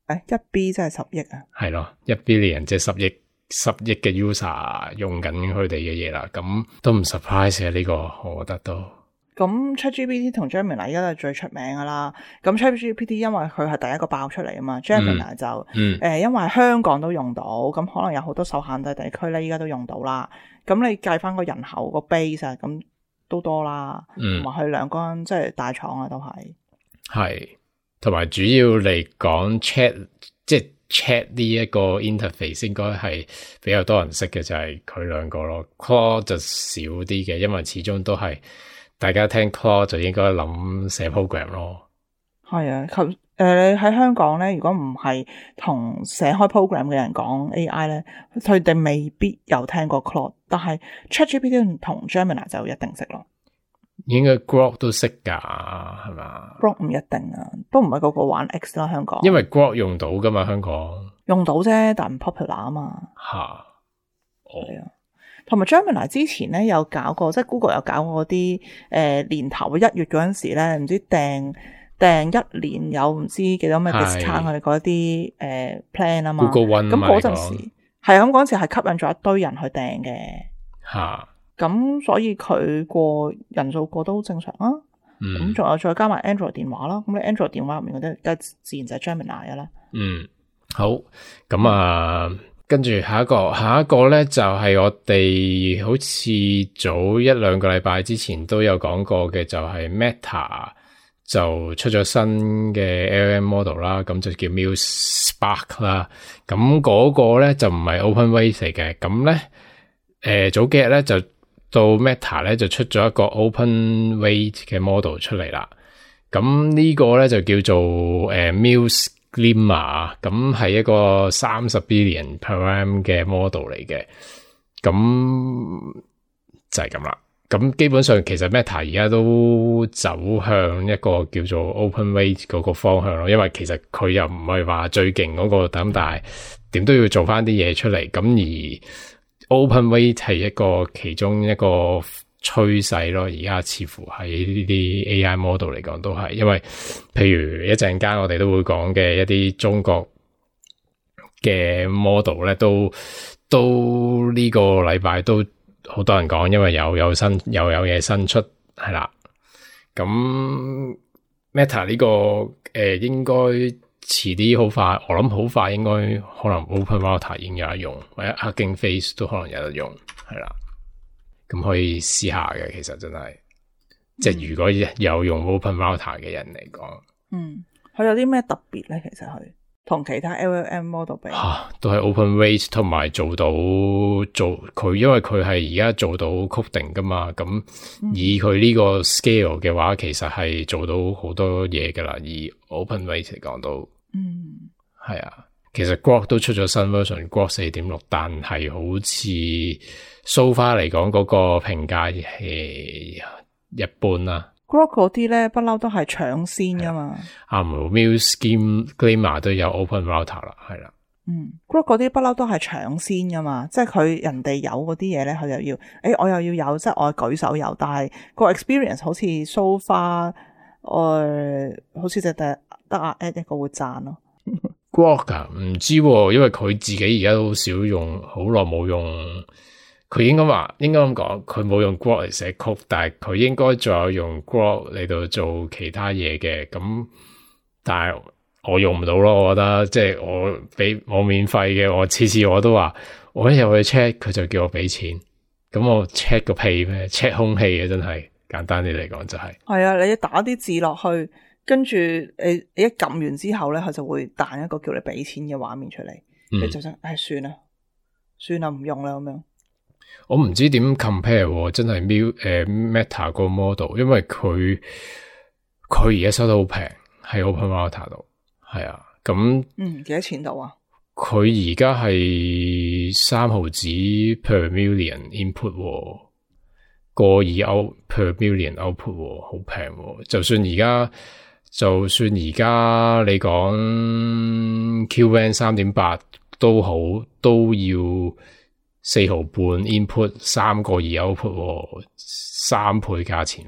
誒，一 B 真係十億啊？係咯，一 billion 即係十億，十億嘅 user 用緊佢哋嘅嘢啦，咁都唔 surprise 嘅呢個，我覺得都。咁 ChatGPT 同 Gemini 而家都係最出名噶啦。咁 ChatGPT 因為佢係第一個爆出嚟啊嘛 ，Gemini 就誒、嗯嗯呃，因為香港都用到，咁可能有好多受限制地區咧，依家都用到啦。咁你計翻個人口個 base 啊，咁都多啦。同埋佢兩間即係大廠啊，都係係。同埋主要嚟講 ，Chat 即係 Chat 呢一個 interface 應該係比較多人識嘅，就係佢兩個咯。Claude 就少啲嘅，因為始終都係。大家聽 Claude 就應該諗寫 program 咯。係啊，誒、呃，你喺香港咧，如果唔係同寫開 program 嘅人講 A I 咧，佢哋未必有聽過 Claude， 但係 ChatGPT 同 Gemini 就一定識咯。應該 Grok 都識噶，係嘛 ？Grok 唔一定啊，都唔係個個玩 X 啦，香港。因為 Grok 用到噶嘛，香港用到啫，但唔 popular 啊嘛。吓，係啊。同埋 Gemini 之前咧有搞過，即係 Google 有搞過啲誒、呃、年頭一月嗰陣時咧，唔知訂訂一年有唔知幾多咩 discount 佢哋嗰啲誒 plan 啊嘛。Google One 咁嗰陣時係啊，咁嗰陣時係吸引咗一堆人去訂嘅。嚇！咁所以佢過人數過都正常啊。咁仲、嗯、有再加埋 Android 電話啦。咁你 Android 電話入面嗰啲，梗係自然就係 Gemini 嘅啦。嗯，好。咁啊，跟住下一個，下一個咧就係、是、我哋好似早一兩個禮拜之前都有講過嘅，就係 Meta 就出咗新嘅 L M model 啦，咁就叫 Muse Spark 啦。咁嗰個咧就唔係 OpenWeight 嚟嘅。咁咧，誒、呃、早幾日咧就到 Meta 咧就出咗一個 OpenWeight 嘅 model 出嚟啦。咁呢個咧就叫做誒、呃、Muse Glimmer， 咁係一個三十 billion param 嘅 model 嚟嘅。咁就係咁啦。咁基本上其實 Meta 而家都走向一個叫做 OpenWeight 嗰個方向咯，因為其實佢又唔係話最勁嗰個，咁但係點都要做翻啲嘢出嚟。咁而 OpenWeight 係一個其中一個趨勢咯，而家似乎喺呢啲 A I model 嚟講都係，因為譬如一陣間我哋都會講嘅一啲中國嘅 model 咧，都都呢個禮拜都好多人講，因為有有新又有嘢新出係啦。咁 Meta 呢、這個誒、呃、應該遲啲好快，我諗好快應該可能 Open Router 已經有得用，或者 Hugging Face 都可能有得用係啦。咁可以試下嘅，其實真係，即係如果有用 Open Router 嘅人嚟講，嗯，佢有啲咩特別咧？其實佢同其他 L L M model 比，啊，都係 OpenWeight 同埋做到做佢，因為佢係而家做到 coding 噶嘛，咁以佢呢個 scale 嘅話，其實係做到好多嘢噶啦。以 OpenWeight 嚟講都，嗯，係啊。其實 Grok 都出咗新 version，Grok 四點六，但係好似 so far 嚟講嗰個評價係一般啦。Grok 嗰啲咧不嬲都係搶先噶嘛。啊，Muse Glimmer 都有 Open Router 啦，係啦。嗯 ，Grok 嗰啲不嬲都係搶先噶嘛，即係佢人哋有嗰啲嘢咧，佢又要，誒、欸，我又要有，即係我舉手有，但係個 experience 好似 so far，誒，好似就得得阿 Ed 一個會讚咯。Grok 啊，唔知喎，因為佢自己而家都好少用，好耐冇用。佢應該話，應該咁講，佢冇用 Grok 嚟寫曲，但係佢應該仲有用 Grok 嚟到做其他嘢嘅。咁，但係我用唔到咯，我覺得即係我俾我免費嘅，我次次我都話，我一入去 check，佢就叫我俾錢。咁我 check 個屁咩 ？check 空氣嘅真係簡單啲嚟講就係、是。係啊，你打啲字落去。跟住你你一撳完之後咧，佢就會彈一個叫你俾錢嘅畫面出嚟，你、嗯、就想，唉、哎，算啦，算啦，唔用啦咁樣。我唔知點 compare， 真係 Mil 誒 Meta 個 model， 因為佢佢而家收得好平，喺 Open Router 度，係啊，咁嗯幾多錢度啊？佢而家係三毫子 per million input，個二歐 per million output， 好平，就算而家。就算而家你講 Q N 三點八都好，都要四毫半 input， 三個二 output， 三倍價錢，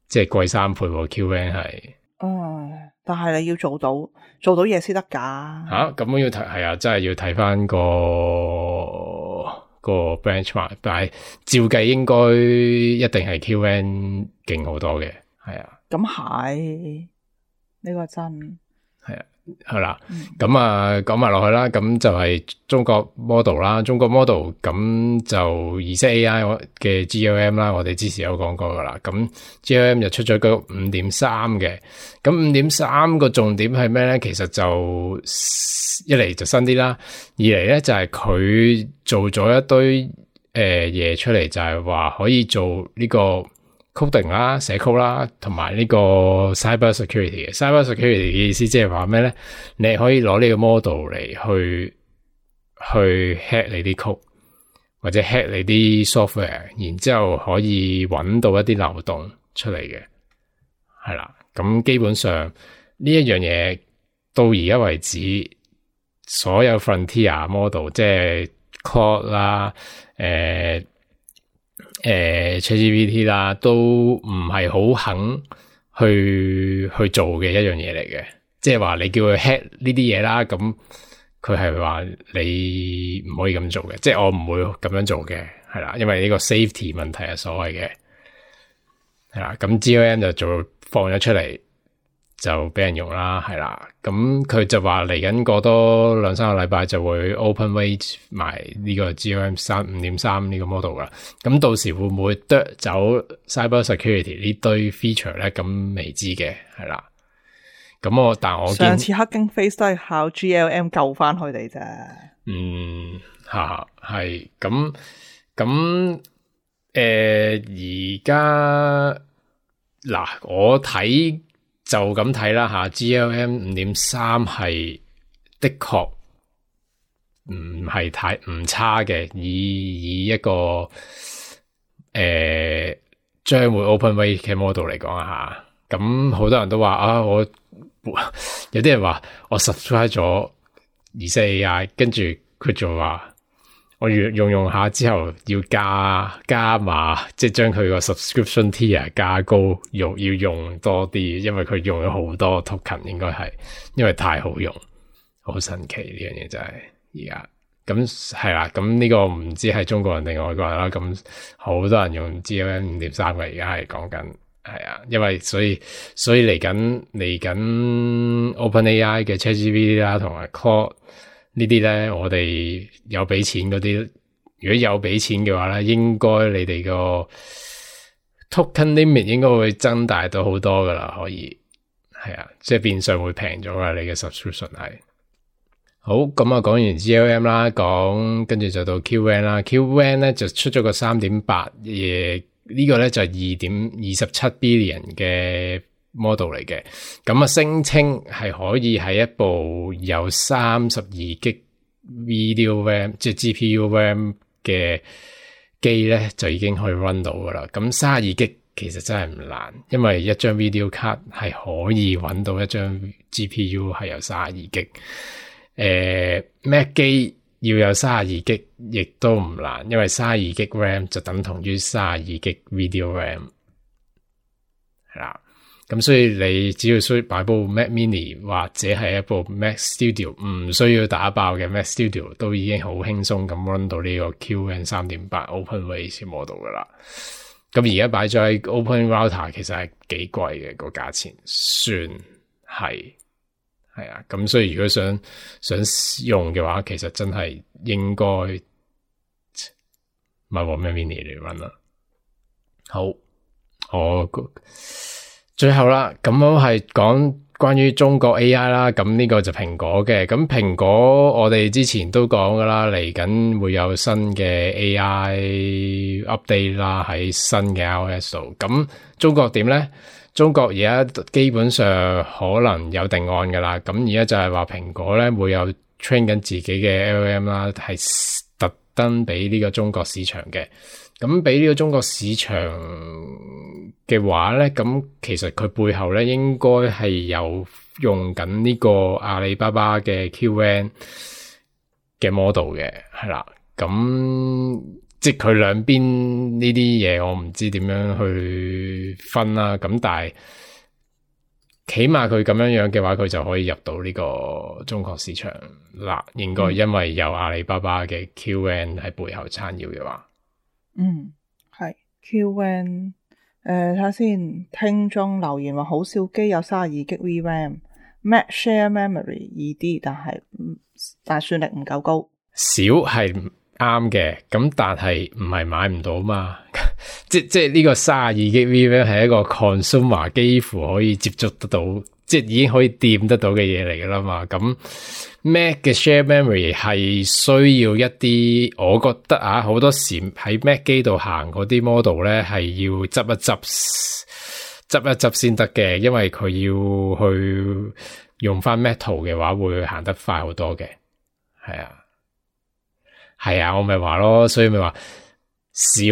即係貴三倍 Q N 係。嗯，但係你要做到做到嘢先得噶。吓，咁樣要睇係啊，真係要睇翻個個 benchmark， 但係照計應該一定係 Q N 勁好多嘅，係啊。咁係。呢個真係啊，係啦，咁、嗯、啊講埋落去啦，咁就係中國 model 啦，中國 model 咁就意識 A I 嘅 G L M 啦，我哋之前有講過噶啦，咁 G L M 就出咗個五點三嘅，咁五點三個重點係咩咧？其實就一嚟就新啲啦，二嚟咧就係佢做咗一堆誒嘢、呃、出嚟，就係話可以做呢、這個。coding 啦，寫 code 啦，同埋呢個 cyber security 嘅 cyber security 嘅意思即係話咩咧？你可以攞呢個 model 嚟去去 hack 你啲 code 或者 hack 你啲 software， 然之後可以揾到一啲漏洞出嚟嘅，係啦。咁基本上呢一樣嘢到而家為止，所有 frontier model 即係 Claude 啦，誒誒 ChatGPT 啦，都唔係好肯去去做嘅一樣嘢嚟嘅。即係話你叫佢 hack 呢啲嘢啦，咁佢係話你唔可以咁做嘅，即係我唔會咁樣做嘅，係啦，因為呢個 safety 問題係所謂嘅，係啦，咁 G L M 就做放咗出嚟就俾人用啦，係啦，咁佢就話嚟緊過多兩三個禮拜就會 open weight 埋呢個 G L M 三五點三呢個 model 噶，咁到時會唔會剁走 cyber security 呢堆 feature 咧？咁未知嘅，係啦。咁我但我上次 Hugging Face 都係靠 G L M 救翻佢哋啫。嗯，吓係咁咁誒，而家嗱我睇就咁睇啦吓 ，G L M 五點三係的確唔係太唔差嘅，以以一個誒將、呃、會 open weight 嘅 model 嚟講啊吓，咁好多人都話啊我。有啲人話我 subscribe 咗 Z A I， 跟住佢就話我用用用下之後要加加碼，即係將佢個 subscription tier 加高，用要用多啲，因為佢用咗好多 token， 應該係因為太好用，好神奇呢樣嘢真係而家。咁係啦，咁呢個唔知係中國人定外國人啦，咁好多人用 G L M 五點三嘅，而家係講緊。係啊，因為所以所以嚟緊嚟緊 OpenAI 嘅 ChatGPT 啦，同埋 Claude 呢啲咧，我哋有俾錢嗰啲，如果有俾錢嘅話咧，應該你哋個 token limit 應該會增大到好多噶啦，可以係啊，即係變相會平咗噶，你嘅 subscription 係。好，咁啊講完 G L M 啦，講跟住就到 Q W E N 啦 ，Q W E N 咧就出咗個 三點八 嘢。呢個咧就係二點二十七 billion 嘅 model 嚟嘅，咁啊聲稱係可以喺一部有三十二 G video RAM 即係 G P U RAM 嘅機咧就已經可以 run 到噶啦。咁三十二 G 其實真係唔難，因為一張 video card 係可以揾到一張 G P U 係有三十二 G。誒 Mac 機要有三十二 G 亦都唔難，因為三十二 G RAM 就等同於三十二 G video RAM 係啦。咁所以你只要需要擺部 Mac Mini 或者係一部 Mac Studio 唔需要打爆嘅 Mac Studio 都已經好輕鬆咁 run 到呢個 Q W E N 三點八 OpenWeight model 噶啦。咁而家擺咗喺 Open Router 其實係幾貴嘅個價錢，算係。係啊，咁所以如果想想用嘅話，其實真係應該買部 Mac Mini 嚟 run 啦。好，我最後啦，咁我係講關於中國 A I 啦，咁呢個就蘋果嘅。咁蘋果我哋之前都講噶啦，嚟緊會有新嘅 A I update 啦，喺新嘅 iOS 度。咁中國點咧？中國而家基本上可能有定案噶啦，咁而家就係話蘋果咧會有 train 緊自己嘅 L L M 啦，係特登俾呢個中國市場嘅。咁俾呢個中國市場嘅話咧，咁其實佢背後咧應該係有用緊呢個阿里巴巴嘅 Q W E N 嘅 model 嘅，係啦，咁。即係佢兩邊呢啲嘢，我唔知點樣去分啦。咁但係起碼佢咁樣樣嘅話，佢就可以入到呢個中國市場啦。應該因為有阿里巴巴嘅 Q W E N 喺背後撐腰嘅話，嗯，係 Q W E N。誒，睇下先，聽眾留言話好少機有三十二 G V RAM，Mac Share Memory 易啲，但係但係算力唔夠高，少係。啱嘅，咁但係唔係買唔到嘛？即即係呢個三十二 G V RAM 係一個 consumer 幾乎可以接觸得到，即係已經可以掂得到嘅嘢嚟噶啦嘛。咁 Mac 嘅 share memory 係需要一啲，我覺得啊，好多時喺 Mac 機度行嗰啲 model 咧係要執一執，執一執先得嘅，因為佢要去用翻 Metal 嘅話，會行得快好多嘅，係啊。係啊，我咪話咯，所以咪話少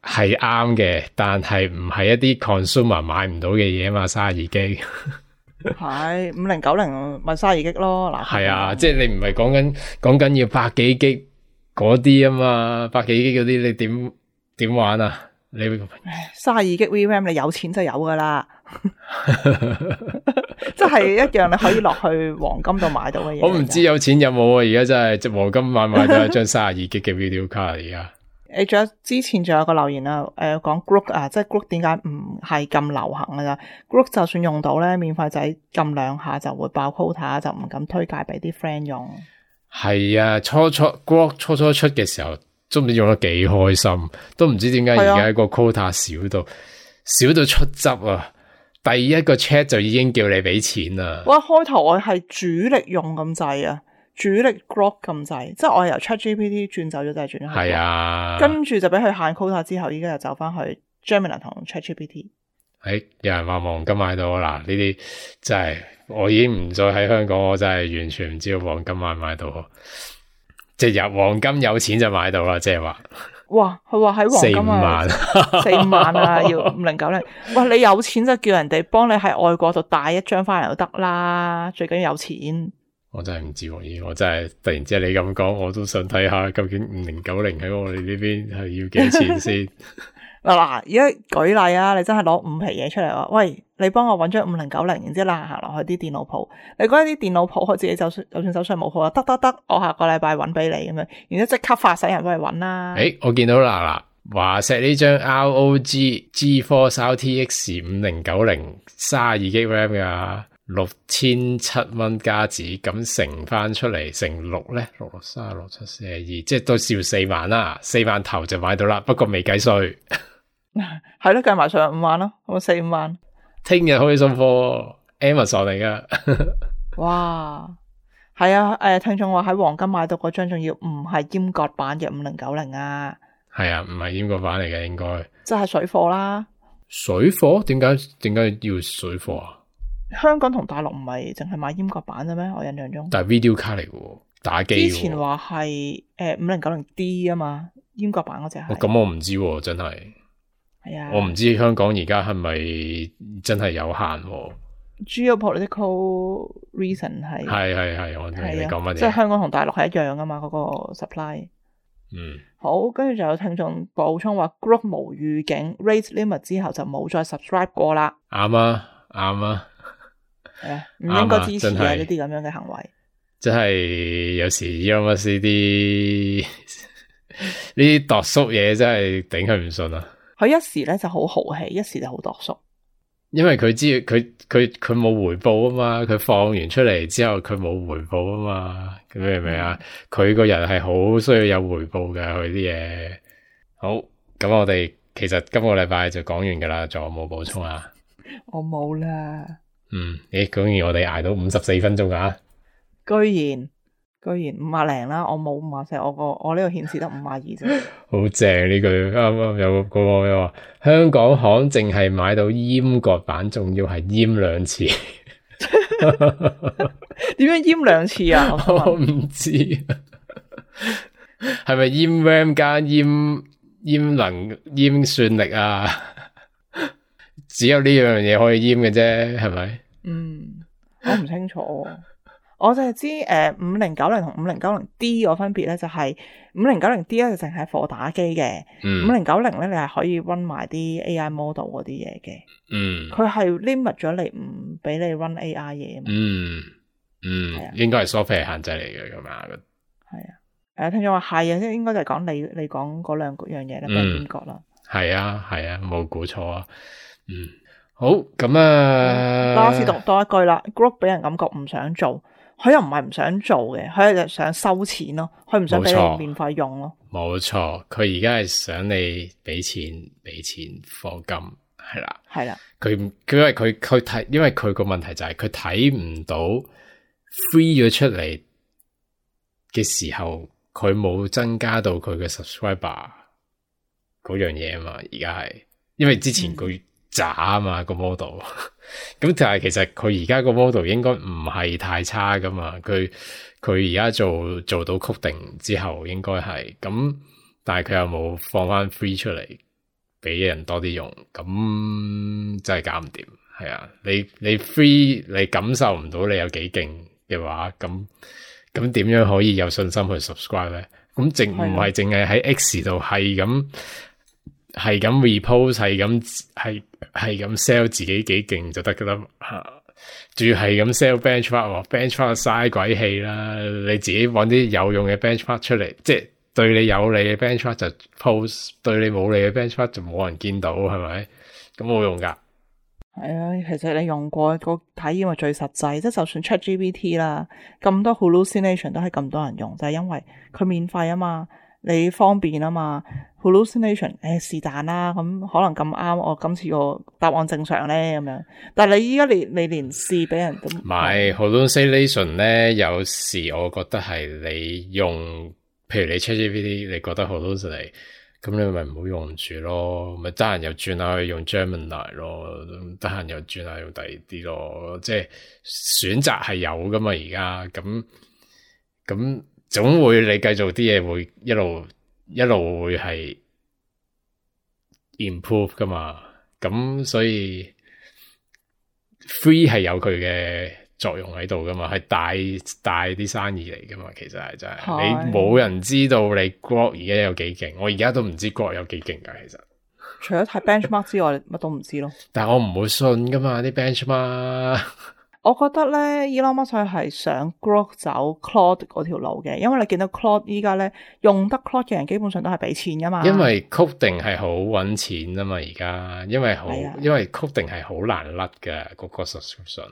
係啱嘅，但係唔係一啲 consumer 買唔到嘅嘢嘛，三十二 G 係五零九零咪三十二 G 咯，嗱係啊，即係你唔係講緊講緊要百幾 G 嗰啲啊嘛，百幾 G 嗰啲你點點玩啊？你三十二 G V RAM 你有錢就有噶啦，即係一樣你可以落去黃金度買到嘅嘢。我唔知有錢有冇啊！而家真係隻黃金買買都係張三十二 G 嘅 video card 而家。誒，仲有之前仲有個留言啊，誒、呃、講 Grok 啊，即係 Grok 點解唔係咁流行噶咋 ？Grok 就算用到咧，免費仔撳兩下就會爆 quota，就唔敢推介俾啲 friend 用。係啊，初初 Grok 初初出嘅時候。都唔知用得幾開心，都唔知點解而家個 quota 少到、啊、少到出汁啊！第一個 chat 就已經叫你俾錢啦。哇！開頭我係主力用咁滯啊，主力 Grok 咁滯，即係我係由 ChatGPT 轉走咗，就係轉咗。係啊，跟住就俾佢限 quota 之後，依家又走翻去 Gemini 同 ChatGPT。誒，有人話黃金買到啦，呢啲真係我已經唔再喺香港，我真係完全唔知道黃金買唔買到。即係有黃金有錢就買到啦，即係話。哇！佢話喺黃金啊，四五萬啊，要五零九零。哇！你有錢就叫人哋幫你喺外國度帶一張翻嚟就得啦，最緊要有錢。我真係唔知喎，我真係突然之間你咁講，我都想睇下究竟五零九零喺我哋呢邊係要幾錢先。嗱嗱，而家舉例啊，你真係攞五皮嘢出嚟話，喂，你幫我搵張五零九零，然之後啦行落去啲電腦鋪，你覺得啲電腦鋪佢自己就算就算手上冇鋪啊，得得得，我下個禮拜搵俾你咁樣，然之後即刻發使人幫你搵啦。誒，我見到啦嗱，華碩呢張 R O G GeForce R T X 五零九零三十二 G RAM 噶，六千七蚊加紙，咁乘翻出嚟乘六咧，六六三六七四十二，即係都少四萬啦，四萬頭就買到啦，不過未計稅。係咯，計埋上五萬咯，咁四五萬。聽日可以送貨 ，Amazon 嚟噶。哇，係啊，誒、呃，聽眾話喺黃金買到嗰張，仲要唔係閹割版嘅五零九零啊？係啊，唔係閹割版嚟嘅，應該。即係水貨啦。水貨？點解點解要水貨啊？香港同大陸唔係淨係買閹割版嘅咩？我印象中。但係 video 卡嚟嘅，打機。之前話係誒五零九零 D 啊嘛，閹割版嗰隻係。咁、哦、我唔知、啊，真係。係啊，我唔知香港而家係咪真係有限？Geopolitical reason 係係係係，我知你講乜嘢？即係香港同大陸係一樣噶嘛，嗰、那個 supply。嗯，好，跟住就有聽眾補充話 ，Grok 無預警 rate limit 之後就冇再 subscribe 過啦。啱啊，啱啊，係啊，唔應該支持嘅呢啲咁樣嘅行為。即係有時 Elon Musk 呢啲呢啲度縮嘢真係頂佢唔順啊！佢一時咧就好豪氣，一時就好度縮。因為佢知佢佢佢冇回報啊嘛，佢放完出嚟之後佢冇回報啊嘛，咁明唔明啊？佢個人係好需要有回報嘅，佢啲嘢。好，咁我哋其實今個禮拜就講完噶啦，仲有冇補充啊？我冇啦。嗯，誒，講完我哋挨到五十四分鐘啊！居然。居然五廿零啦，我冇五廿四，我個我呢度顯示得五廿二啫。好正呢句，啱啱有個個話香港行淨係買到閹割版，仲要係閹兩次。點樣閹兩次啊？我唔知，係咪閹 RAM 加閹閹能閹算力啊？只有呢樣嘢可以閹嘅啫，係咪？嗯，我唔清楚。我就係知誒五零九零同五零九零 D 個分別咧，就係五零九零 D 咧就淨係貨打機嘅，五零九零咧你係可以 run 埋啲 A I model 嗰啲嘢嘅。嗯，佢係 limit 咗你唔俾你 run A I 嘢啊嘛。嗯嗯，係啊，應該係 software 限制嚟嘅咁啊。係啊，誒聽咗話係啊，即係應該就係講你你講嗰兩樣嘢咧，俾人閹割啦。係啊係啊，冇估錯啊。嗯，好咁啊，拉斯讀多一句啦 ，Grok 俾人感覺唔想做。佢又唔係唔想做嘅，佢係想收錢咯，佢唔想俾你免費用咯。冇錯，佢而家係想你俾錢俾錢課金，係啦，係啦。佢佢因為佢佢睇，因為佢個問題就係佢睇唔到 free 咗出嚟嘅時候，佢冇增加到佢嘅 subscriber 嗰樣嘢啊嘛。而家係因為之前佢渣啊嘛個 model。咁但係其實佢而家個 model 應該唔係太差噶嘛，佢佢而家做做到 coding 之後應該係咁，但係佢又冇放翻 free 出嚟俾人多啲用，咁真係搞唔掂。係啊，你你 free 你感受唔到你有幾勁嘅話，咁咁點樣可以有信心去 subscribe 咧？咁咁淨唔係淨係喺 X 度係咁係咁 repost 係咁係係咁 sell 自己幾勁就得噶啦吓。仲要係咁 sell benchmark， benchmark 嘥鬼氣啦！你自己搵啲有用嘅 benchmark 出嚟，即係對你有利嘅 benchmark 就 post， 對你冇利嘅 benchmark 就冇人見到，係咪？咁冇用噶。係啊，其實你用過個體驗係最實際，即係就算 ChatGPT 啦，咁多 hallucination 都係咁多人用，就係因為佢免費啊嘛，你方便啊嘛。hallucination 誒是但啦，咁可能咁啱我今次個答案正常咧咁樣，但係你依家你你連試俾人都唔係 hallucination 咧，有時我覺得係你用，譬如你 ChatGPT 你覺得 hallucinate，咁你咪唔好用住咯，咪得閒又轉下去用 Gemini 咯，得閒又轉下用第二啲咯，即係選擇係有噶嘛而家，咁咁總會你繼續啲嘢會一路。一路會係 improve 噶嘛，咁所以 free 係有佢嘅作用喺度噶嘛，係帶帶啲生意嚟噶嘛，其實係真係你冇人知道你 Grok 而家有幾勁，我而家都唔知 Grok 有幾勁噶，其實除咗睇 benchmark 之外，乜都唔知咯。但係我唔會信噶嘛啲 benchmark。我覺得咧 Elon Musk 係想 Grok 走 Claude 嗰條路嘅，因為你見到 Claude 依家咧用得 Claude 嘅人基本上都係俾錢噶嘛。因為 coding 係好搵錢啊嘛，而家因為好、啊、因為 coding 係好難甩嘅嗰個 subscription，、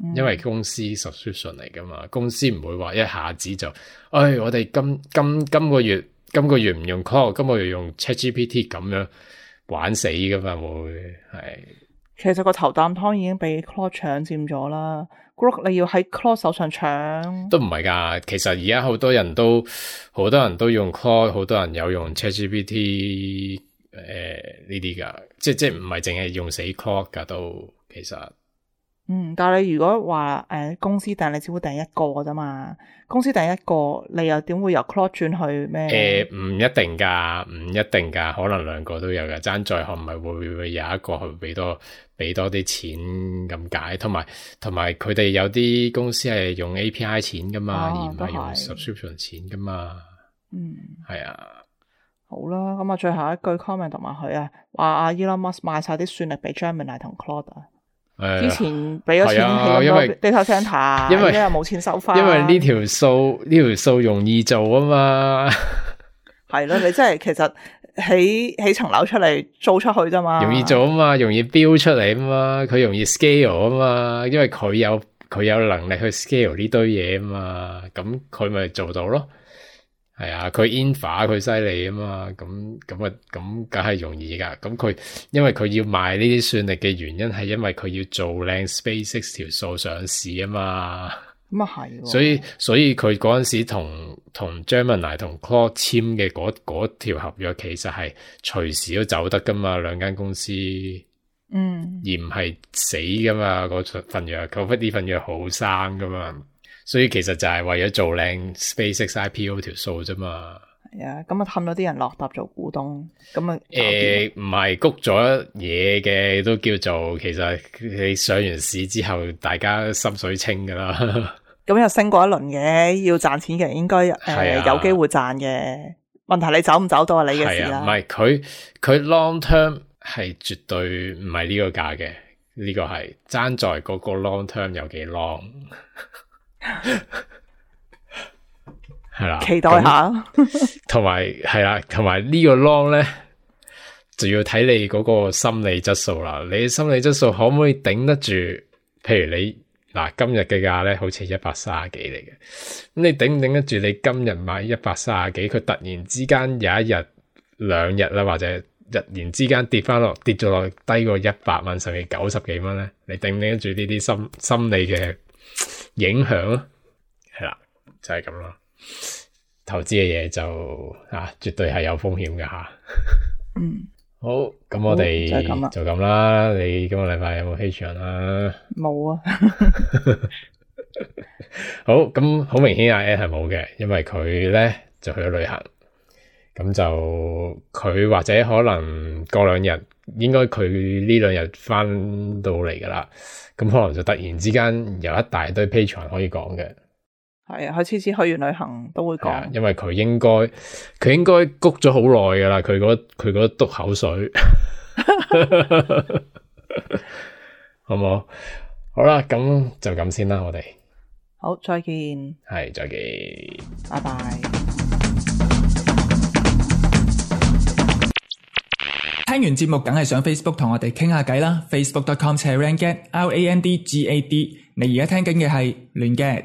嗯、因為公司 subscription 嚟噶嘛，公司唔會話一下子就，哎，我哋今今今個月今個月唔用 Claude， 今個月用 ChatGPT 咁樣玩死噶嘛，會係。其實個頭啖湯已經被 Claude 搶佔咗啦 Grok 你要喺 Claude 手上搶都唔係噶。其實而家好多人都好多人都用 Claude， 好多人有用 ChatGPT 誒呢啲噶，即即唔係淨係用死 Claude 噶都其實。嗯，但係你如果話誒、呃、公司訂，你只會訂一個啫嘛。公司訂一個，你又點會由 Claude 轉去咩？誒，唔一定噶，唔一定噶，可能兩個都有噶。爭在可唔係會唔會有一個去俾多俾多啲錢咁解？同埋同埋佢哋有啲公司係用 A P I 錢噶嘛，啊、而唔係用 subscription 錢噶嘛。嗯，係啊。好啦，咁啊，最後一句 comment 同埋佢啊，話阿 Elon Musk 賣晒啲算力俾 Gemini 同 Claude 啊。之前俾咗錢起咁多 data center， 因為又冇錢收翻。因為呢條數呢條數容易做啊嘛。係咯，你真係其實起起層樓出嚟租出去啫嘛。容易做啊嘛，容易標出嚟啊嘛，佢容易 scale 啊嘛，因為佢有佢有能力去 scale 呢堆嘢啊嘛，咁佢咪做到咯。係啊，佢 infra 佢犀利啊嘛，咁咁啊，咁梗係容易噶。咁佢因為佢要賣呢啲算力嘅原因係因為佢要做靚 SpaceX 條數上市啊嘛。咁啊係，所以所以佢嗰陣時同同 Gemini 同 Claude 簽嘅嗰嗰條合約其實係隨時都走得噶嘛，兩間公司，嗯，而唔係死噶嘛，嗰份約，嗰呢份約好生噶嘛。所以其實就係為咗做靚 SpaceX I P O 條數啫嘛。係啊，咁啊氹咗啲人落搭做股東，咁啊誒唔係谷咗嘢嘅都叫做，其實你上完市之後，大家心水清噶啦。咁又升過一輪嘅，要賺錢嘅人應該誒、呃啊、有機會賺嘅。問題你走唔走到係你嘅事啦。唔係佢佢 long term 係絕對唔係呢個價嘅，呢、這個係爭在嗰個 long term 有幾 long。係啦，期待下。同埋係啦，同埋呢個 long 咧，就要睇你嗰個心理質素啦。你心理質素可唔可以頂得住？譬如你嗱今日嘅價咧，好似一百三十幾嚟嘅，咁你頂唔頂得住？你今日買一百三十幾，佢突然之間有一日、兩日啦，或者日然之間跌翻落，跌咗落低過一百蚊，甚至九十幾蚊咧，你頂唔頂得住呢啲心心理嘅影響咯？係啦，就係咁咯。投資嘅嘢就啊，絕對係有風險嘅吓。嗯，好，咁我哋就咁啦。你今個禮拜有冇 Patreon 啊？冇啊。好，咁好明顯阿 Ed 係冇嘅，因為佢咧就去咗旅行。咁就佢或者可能過兩日，應該佢呢兩日翻到嚟噶啦。咁可能就突然之間有一大堆 Patreon 可以講嘅。係啊，佢次次去完旅行都會講，因為佢應該佢應該谷咗好耐噶啦，佢嗰佢嗰督口水，好冇？好啦，咁就咁先啦，我哋好，再見，係再見，拜拜。聽完節目梗係上 Facebook 同我哋傾下偈啦 ，facebook dot com slash randgad r a n d g a d。你而家聽緊嘅係亂嘅